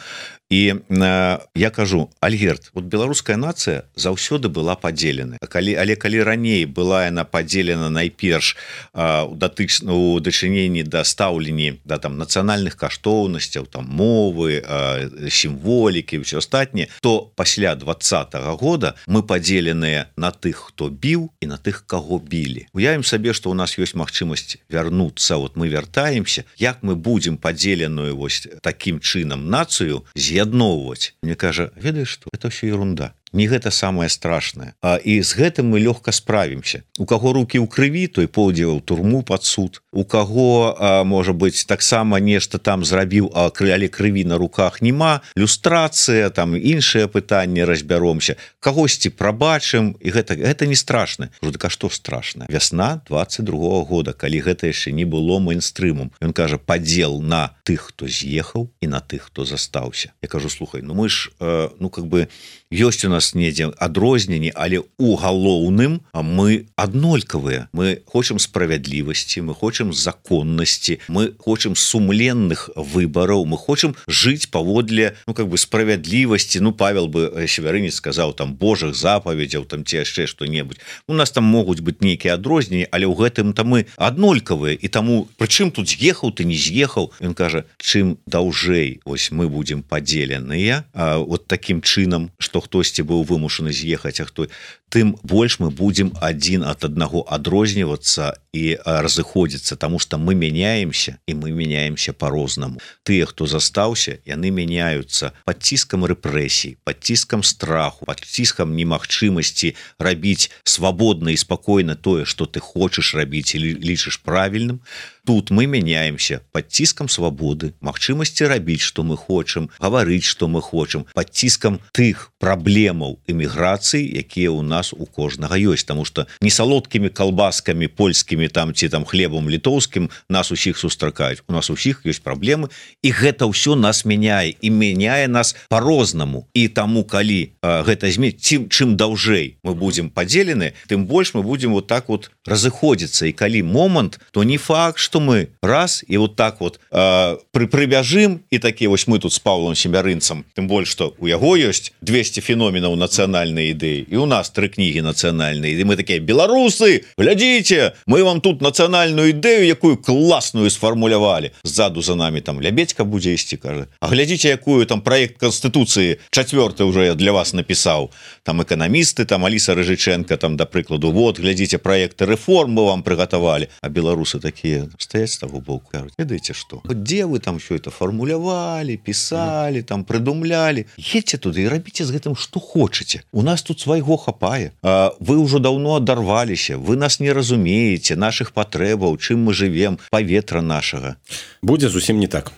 Speaker 1: і э, я кажу, Альгерт, вот беларуская нацыя заўсёды была падзелена, калі але калі раней была яна падзелена найперш э, у датычна у дачыненні да стаўленні да там нацыянальных каштоўнасцяў, там мовы, э, сімволікі, ўсё астатняе, то пасля двадцатага года мы падзеленыя на тых, хто біў, і на тых, каго білі. Уявім сабе, што у нас ёсць магчымасць вярнуцца, вот мы вяртаемся, як мы будзем падзеленую вось такім чынам нацыю з'ядноўваць. Мне кажа, ведаеш што, это ўсё ерунда. Не гэта самае страшнае. А, і з гэтым мы лёгка справімся. У каго рукі ў крыві, той пойдзе ў турму пад суд. У каго, а, можа быць, таксама нешта там зрабіў, а але крыві на руках няма, люстрацыя, там іншыя пытанні разбяромся. Кагосьці прабачым, і гэта, гэта не страшна. Кажу, так а што страшна? Вясна двадцать другого года, калі гэта яшчэ не было мейнстрымом. Ён кажа, падзел на тых, хто з'ехаў, і на тых, хто застаўся. Я кажу, слухай, ну мы ж, э, ну как бы, ёсць у нас недзе адрозненні, але у галоўным мы аднолькавыя. Мы хочам справядлівасці, мы хочам законнасці, мы хочам сумленных выбараў, мы хочам жыць паводле, ну как бы справядлівасці. Ну Павел бы Севярынец сказаў там Божых запаведзяў, там ці яшчэ што-небудзь. У нас там могуць быць нейкія адрозненні, але ў гэтым там мы аднолькавыя, і таму прычым тут з'ехаў ты не з'ехаў. Ён кажа, чым даўжэй вось мы будзем падзеленыя а, вот такім чынам, што хтосьці быў вымушаны з'ехаць, а хто, тым больш мы будзем адзін ад аднаго адрознівацца і разыходзіцца, таму што мы мяняемся, і мы мяняемся по-рознаму. Тыя, хто застаўся, яны мяняюцца пад ціскам рэпрэсій, пад ціскам страху, пад ціскам немагчымасці рабіць свабодна і спакойна тое, што ты хочаш рабіць і лічыш правільным. Тут мы мяняемся пад ціскам свабоды, магчымасці рабіць, што мы хочам, гаварыць, што мы хочам, пад ціскам тых праблемаў эміграцыі, якія ў нас у кожнага ёсць, таму што не салодкімі калбаскамі польскімі там ці там хлебам літоўскім нас усіх сустракаюць. У нас усіх ёсць праблемы, і гэта ўсё нас мяняе, і мяняе нас по-рознаму. І таму, калі э, гэта зменіць, чым, чым даўжэй мы будзем падзелены, тым больш мы будзем вот так вот разыходзіцца. І калі момант, то не факт, што мы раз і вот так вот э, пры прыбяжым, і такі вось мы тут з Павлом Семярынцам, тым больш, што у яго ёсць двести феноменаў нацыянальнай ідэі, і у нас тры кнігі нацыянальныя, і мы такія, беларусы, глядзіце, мы вам тут нацыянальную ідэю, якую класную сфармулявалі. Ззаду за нами там Лябедька будзе ісці, кажа, а глядзіце, якую там праект Канстытуцыі чацвёрты уже я для вас напісаў. Там эканамісты, там Аліса Рыжыченко, там, да прыкладу, вот, глядзіце, праекты рэформ мы вам прыгатавалі. А беларусы такія стаяць з таго боку, кажуць, ведаеце што? Дзе вы там все это фармулявалі, пісалі, там прыдумлялі? Едьце туды і рабіце з гэтым што хочаце. У нас тут свайго хапае. А, вы ўжо даўно адарваліся, вы нас не разумееце, нашых патрэбаў, чым мы жывем, паветра нашага.
Speaker 2: Будзе зусім не так.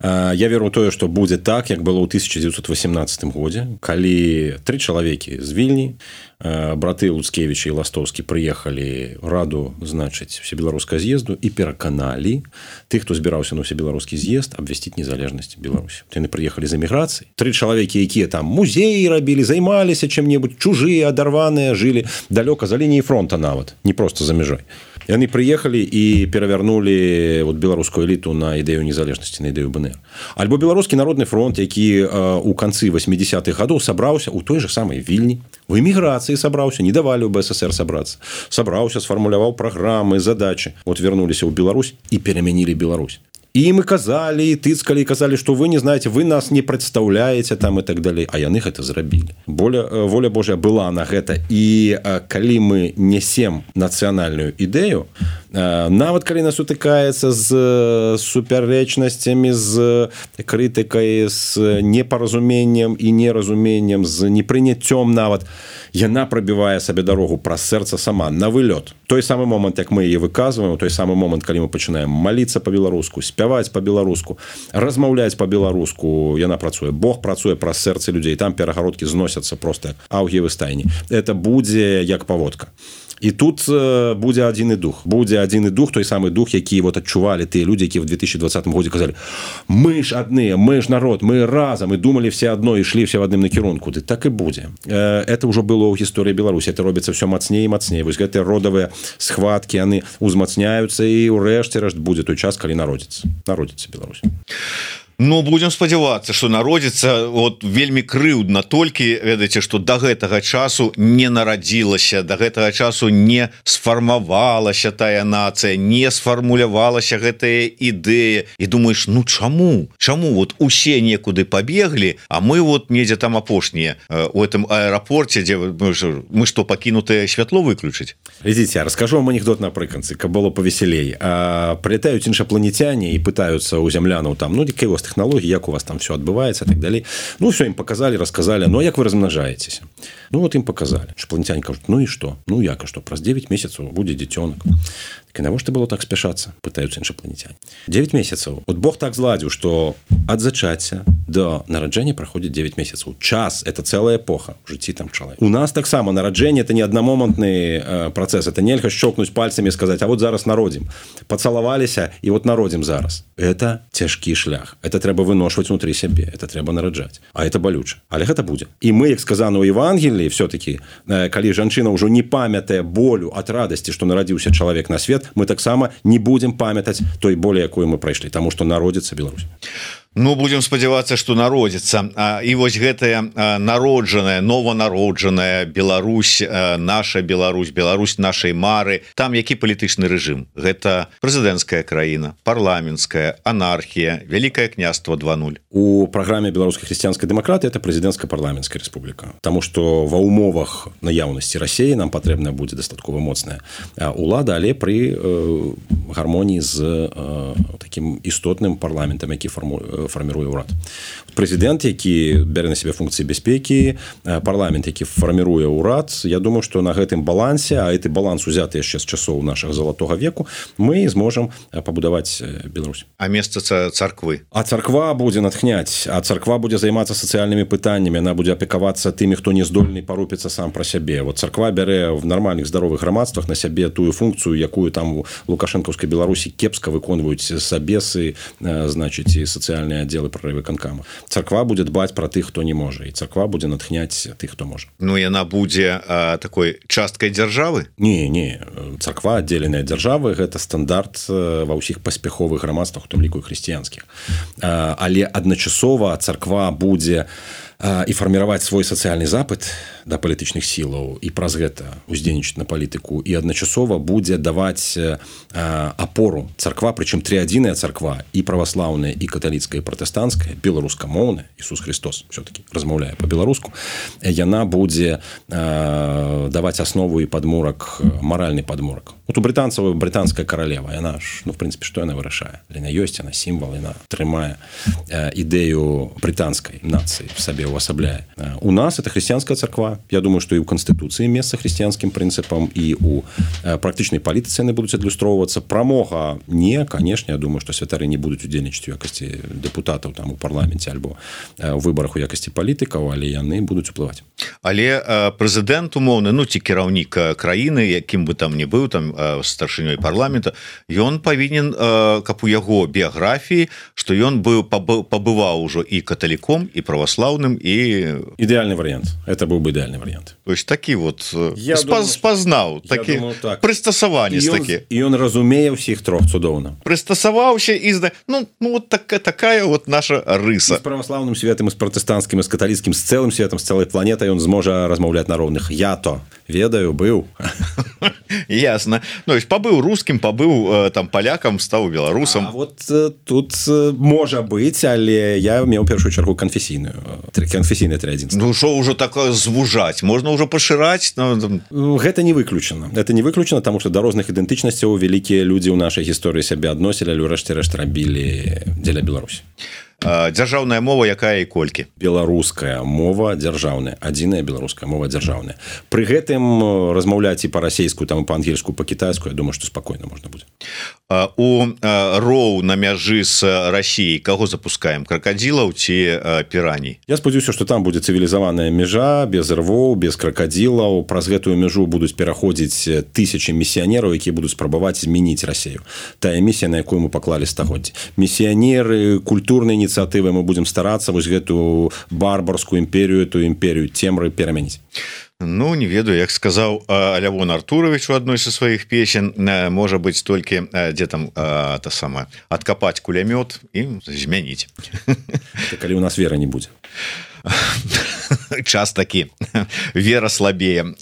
Speaker 2: Я веру ў тое, што будзе так, як было ў тысяча дзевяцьсот восемнадцатым годзе, калі тры чалавекі з Вільні, браты Луцкевіч і Ластоўскі прыехалі раду, значыць, всебеларускага з'езду і пераканалі тых, хто збіраўся на всебеларускі з'езд, абвясціць незалежнасць Беларусі. Яны прыехалі з эміграцыі. Тры чалавекі, якія там музеі рабілі, займаліся чым-небудзь, чужыя, адарваныя, жылі далёка за лініяй фронта нават, не проста за мяжой. Яны прыехалі і перавярнулі вот, беларускую эліту на ідэю незалежнасці, на ідэю БНР. Альбо беларускі народны фронт, які э, у канцы восьмідзесятых гадоў сабраўся ў той жа самай Вільні, у эміграцыі сабраўся, не давалі ў БССР сабрацца. Сабраўся, сфармуляваў праграмы, задачы. Вот вярнуліся ў Беларусь і перамянілі Беларусь. І мы казалі, і тыцкалі, і казалі, што вы не знаеце, вы нас не прадстаўляеце там і так далей. А яны гэта зрабілі. Воля, воля Божая была на гэта. І калі мы несем нацыянальную ідэю, нават калі нас сутыкаецца з супярэчнасцямі, з крытыкай, з непаразуменнем і неразуменнем, з непрыняццём нават, яна прабівае сабе дарогу праз сэрца сама, на вылёт. Той самы момант, як мы яе выказваем, той самы момант, калі мы пачынаем маліцца па-беларуску, спяваць па-беларуску, размаўляць па-беларуску, яна працуе. Бог працуе праз сэрцы людзей, там перагародкі зносяцца проста аўгіевы стайні. Это будзе як паводка. І тут будзе адзіны дух. Будзе адзіны дух, той самы дух, які вот адчувалі тыя людзі, якія ў две тысячи двадцатым годзе казалі: мы ж адныя, мы ж народ, мы разам, і думалі все адно, і ішлі все в адным накірунку. Ды так і будзе. Это ўжо было ў гісторыі Беларусі. Это робіцца все мацней і мацней. Вось гэтыя родавыя схваткі, яны узмацняюцца, і ўрэшце рэшт будзе той час, калі народзіцца. Народзіцца Беларусь.
Speaker 1: Ну будем спадзявацца, что народзіцца вот вельмі крыўдна толькі ведаеце, что до гэтага часу не нарадзілася, до гэтага часу не сфармавалася тая нацыя, не сфармулявалася гэтая ідэя, і думаешь, ну чаму чаму вот усе некуды побеглі, а мы вот недзе там апошнія у этом аэрапорце, дзе мы что пакінутае святло выключыць.
Speaker 2: Глядзіце, расскажу вам анекдот напрыканцы, каб было павесялей. Прилетаюць іншапланетяне і пытаюцца у зямлянаў там, ну якія у вас тэхналогіі, як у вас там все адбываецца так далей. Ну все ім показалі, расказалі, ну як вы размнажаецеся? Ну вот ім показалі. Іншапланетяне кажуць, ну і што? Ну як, а што праз девять месяцаў будзе дзіцёнак. Так і навошта было так спяшацца, пытаюцца іншапланетяне. девять месяцаў. Вот Бог так зладзіў, што ад зачацця до нараджэння праходзіць девять месяцаў. Час это целая эпоха в жыцці там чалавека. У нас таксама нараджэнне это не аднамомантны э, працэс, это нельга щелкнуць пальцамі і сказаць, а вот зараз народзім. Пацалаваліся і вот народзім зараз. Это цяжкі шлях. Это трэба выношваць внутры сябе, это трэба нараджаць. А это балюча. Але гэта будзе. І мы, як сказано ў Евангеліі, все-таки, э, калі жанчына ўжо не памятае болю ад радасці, што нарадзіўся чалавек на свет, мы таксама не будзем памятаць той болі, якую мы прайшлі, таму што народзіцца Беларусь.
Speaker 1: Ну будем спадзявацца, что народзіцца. І вось гэтая народжаная, нованароджаная Беларусь, наша Беларусь, Беларусь нашай мары, там які палітычны рэжым? Гэта прэзідэнцкая краіна, парламенцкая, анархія, Вялікае княства два нуль.
Speaker 2: У праграме беларускай хрысціянскай дэмакратыі это прэзідэнцка-парламенцкая рэспубліка. Таму што ва ўмовах наяўнасці Расіі нам патрэбна будзе дастаткова моцная улада, але пры э, гармоніі з э, такім істотным парламентам, які формуе фарміруе ўрад. Прэзідэнт, які бярэ на сябе функцыі бяспекі, парламент, які фарміруе ўрад, я думаю, што на гэтым балансе, а гэты баланс узяты яшчэ з часоў нашага залатога веку, мы зможам пабудаваць Беларусь.
Speaker 1: А месца царквы?
Speaker 2: А царква будзе натхняць, а царква будзе займацца сацыяльнымі пытаннямі, яна будзе апекавацца тымі, хто не здольны парупіцца сам пра сябе. Вот царква бярэ в нармальных здаровых грамадствах на сябе тую функцыю, якую там у лукашэнкаўскай Беларусі кепска выконваюць сабесы, значыць, і сацыяльныя аддзелы прарывыканкама. Царква будзе дбаць пра тых, хто не можа, і царква будзе натхняць тых, хто можа.
Speaker 1: Ну яна будзе а, такой часткай дзяржавы?
Speaker 2: Не, не, царква аддзеленая дзяржавы, гэта стандарт ва ўсіх паспяховых грамадствах, у тым ліку і хрысціянскіх. Але адначасова царква будзе і фарміраваць свой сацыяльны запыт да палітычных сілаў і праз гэта уздзейнічаць на палітыку, і адначасова будзе даваць апору царква, прычым трыадзіная царква, і праваслаўная, і каталіцкая, і пратэстанцкая, беларускамоўная, Ісус Христос все-таки размаўляе па-беларуску, яна будзе даваць аснову і падмурак, маральны падмурак. Вот у брытанцаў брытанская каралева, яна ж, ну, в прынцыпе, што яна вырашае? Яна ёсць, яна сімвал, яна трымае ідэю брытанскай нацыі в сабе увасабляе. У нас это хрысціянская царква. Я думаю, што і ў Канстытуцыі месца хрысціянскім прынцыпам, і ў практычнай палітыцы яны будуць адлюстроўвацца. Прамога не, канешне, я думаю, што святары не будуць удзельнічаць у якасці дэпутатаў там у парламенце альбо у выбарах у якасці палітыкаў, але яны будуць уплываць.
Speaker 1: Але прэзідэнт умоўны, ну ці кіраўнік краіны, якім бы там не быў, там старшынёй парламента, ён павінен, каб у яго біяграфіі, што ён быў пабываў ужо і каталіком, і праваслаўным, і
Speaker 2: ідэальны варыянт. Это быў бы ідэальны варыянт.
Speaker 1: То есть такі вот спаз, спазнаў, такі так. Прыстасаванец такі.
Speaker 2: І ён разумее ўсіх трох цудоўна.
Speaker 1: Прыстасаваўся і зна... ну, ну вот так, такая вот наша рыса.
Speaker 2: І з праваслаўным светам, і з пратэстанцкім, і з каталіцкім, з цэлым светам, з цэлай планетай ён зможа размаўляць на роўных. Я то ведаю, быў.
Speaker 1: Ясно. Ну, есть пабыў рускім, пабыў там палякам, стаў беларусам.
Speaker 2: А вот тут можа быць, але я меў першую чаргу канфесійную. Канфесійнае трыадзінства.
Speaker 1: Ну, што ўжо такое звужаць? Можна ўжо пашыраць?
Speaker 2: Ну, гэта не выключана. Это не выключана, таму што да розных ідэнтычнасцяў вялікія людзі ў нашай гісторыі сябе адносілі, але ўрэшце рэшт рабілі дзеля Беларусі.
Speaker 1: Дзяржаўная мова якая і колькі?
Speaker 2: Беларуская мова дзяржаўная, адзіная беларуская мова дзяржаўная. Пры гэтым размаўляць і па-расейску, там і па-ангельску, па-кітайску, я думаю, што спакойна можна будзе.
Speaker 1: У роў на мяжы з Расіяй каго запускаем? Кракадзілаў ці піраній?
Speaker 2: Я спадзяюся, што там будзе цывілізаваная мяжа, без рвоў, без кракадзілаў. Праз гэтую мяжу будуць пераходзіць тысячы місіянераў, якія будуць спрабаваць змяніць Расію. Тая місія, на якую мы паклалі стагоддзі. Місіянеры, культурныя ініцыятывы, мы будзем старацца вось гэту барбарскую імперію, ту імперію цемры перамяніць.
Speaker 1: Ну не ведаю, як сказаў Лявон Артурович у адной са сваіх песен, можа быць толькі дзе там та сама адкапаць кулямёт і змяніць.
Speaker 2: Калі у нас вера не будзе.
Speaker 1: Час такі, вера слабее,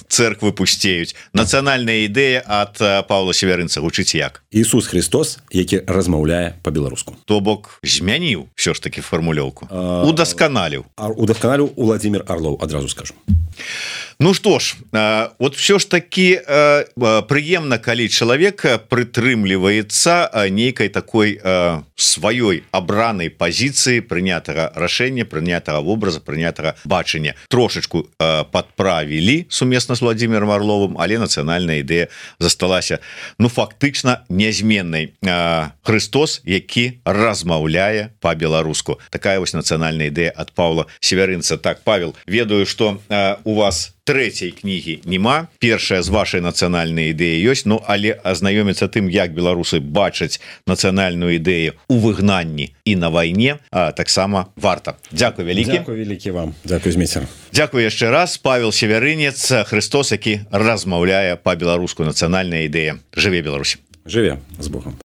Speaker 1: церквы пусцеюць. Нацыянальная ідэя ад Паўла Севярынца гучыць як?
Speaker 2: Ісус Христос, які размаўляе па-беларуску.
Speaker 1: То бок змяніў ўсё ж такі фармулёўку. Удасканаліў.
Speaker 2: Удасканаліў Уладзімір Арлоў, адразу скажу.
Speaker 1: Ну што ж, вот все ж таки прыемна, калі чалавек прытрымліваецца нейкай такой сваёй абранай пазіцыі прынятага рашэння, прынятага вобраза, прынятага бачання. Трошачку падправілі сумесна з Владзімірам Арловым, але нацыянальная ідэя засталася, ну, фактычна нязменнай. Христос, які размаўляе па-беларуску. Такая вось нацыянальная ідэя ад Паўла Севярынца. Так, Павел, ведаю, што у вас трэцяй кнігі няма, першая з вашай нацыянальнай ідэі ёсць, ну але азнаёміцца тым, як беларусы бачаць нацыянальную ідэю у выгнанні і на вайне, таксама варта. Дзякуй вялікі.
Speaker 2: Дзякуй вялікі вам. Дзякуй, Змейцер.
Speaker 1: Дзякуй яшчэ раз. Павел Севярынец, Христос, які размаўляе па-беларуску, нацыянальная ідэя. Жыве Беларусь.
Speaker 2: Жыве, з Богом.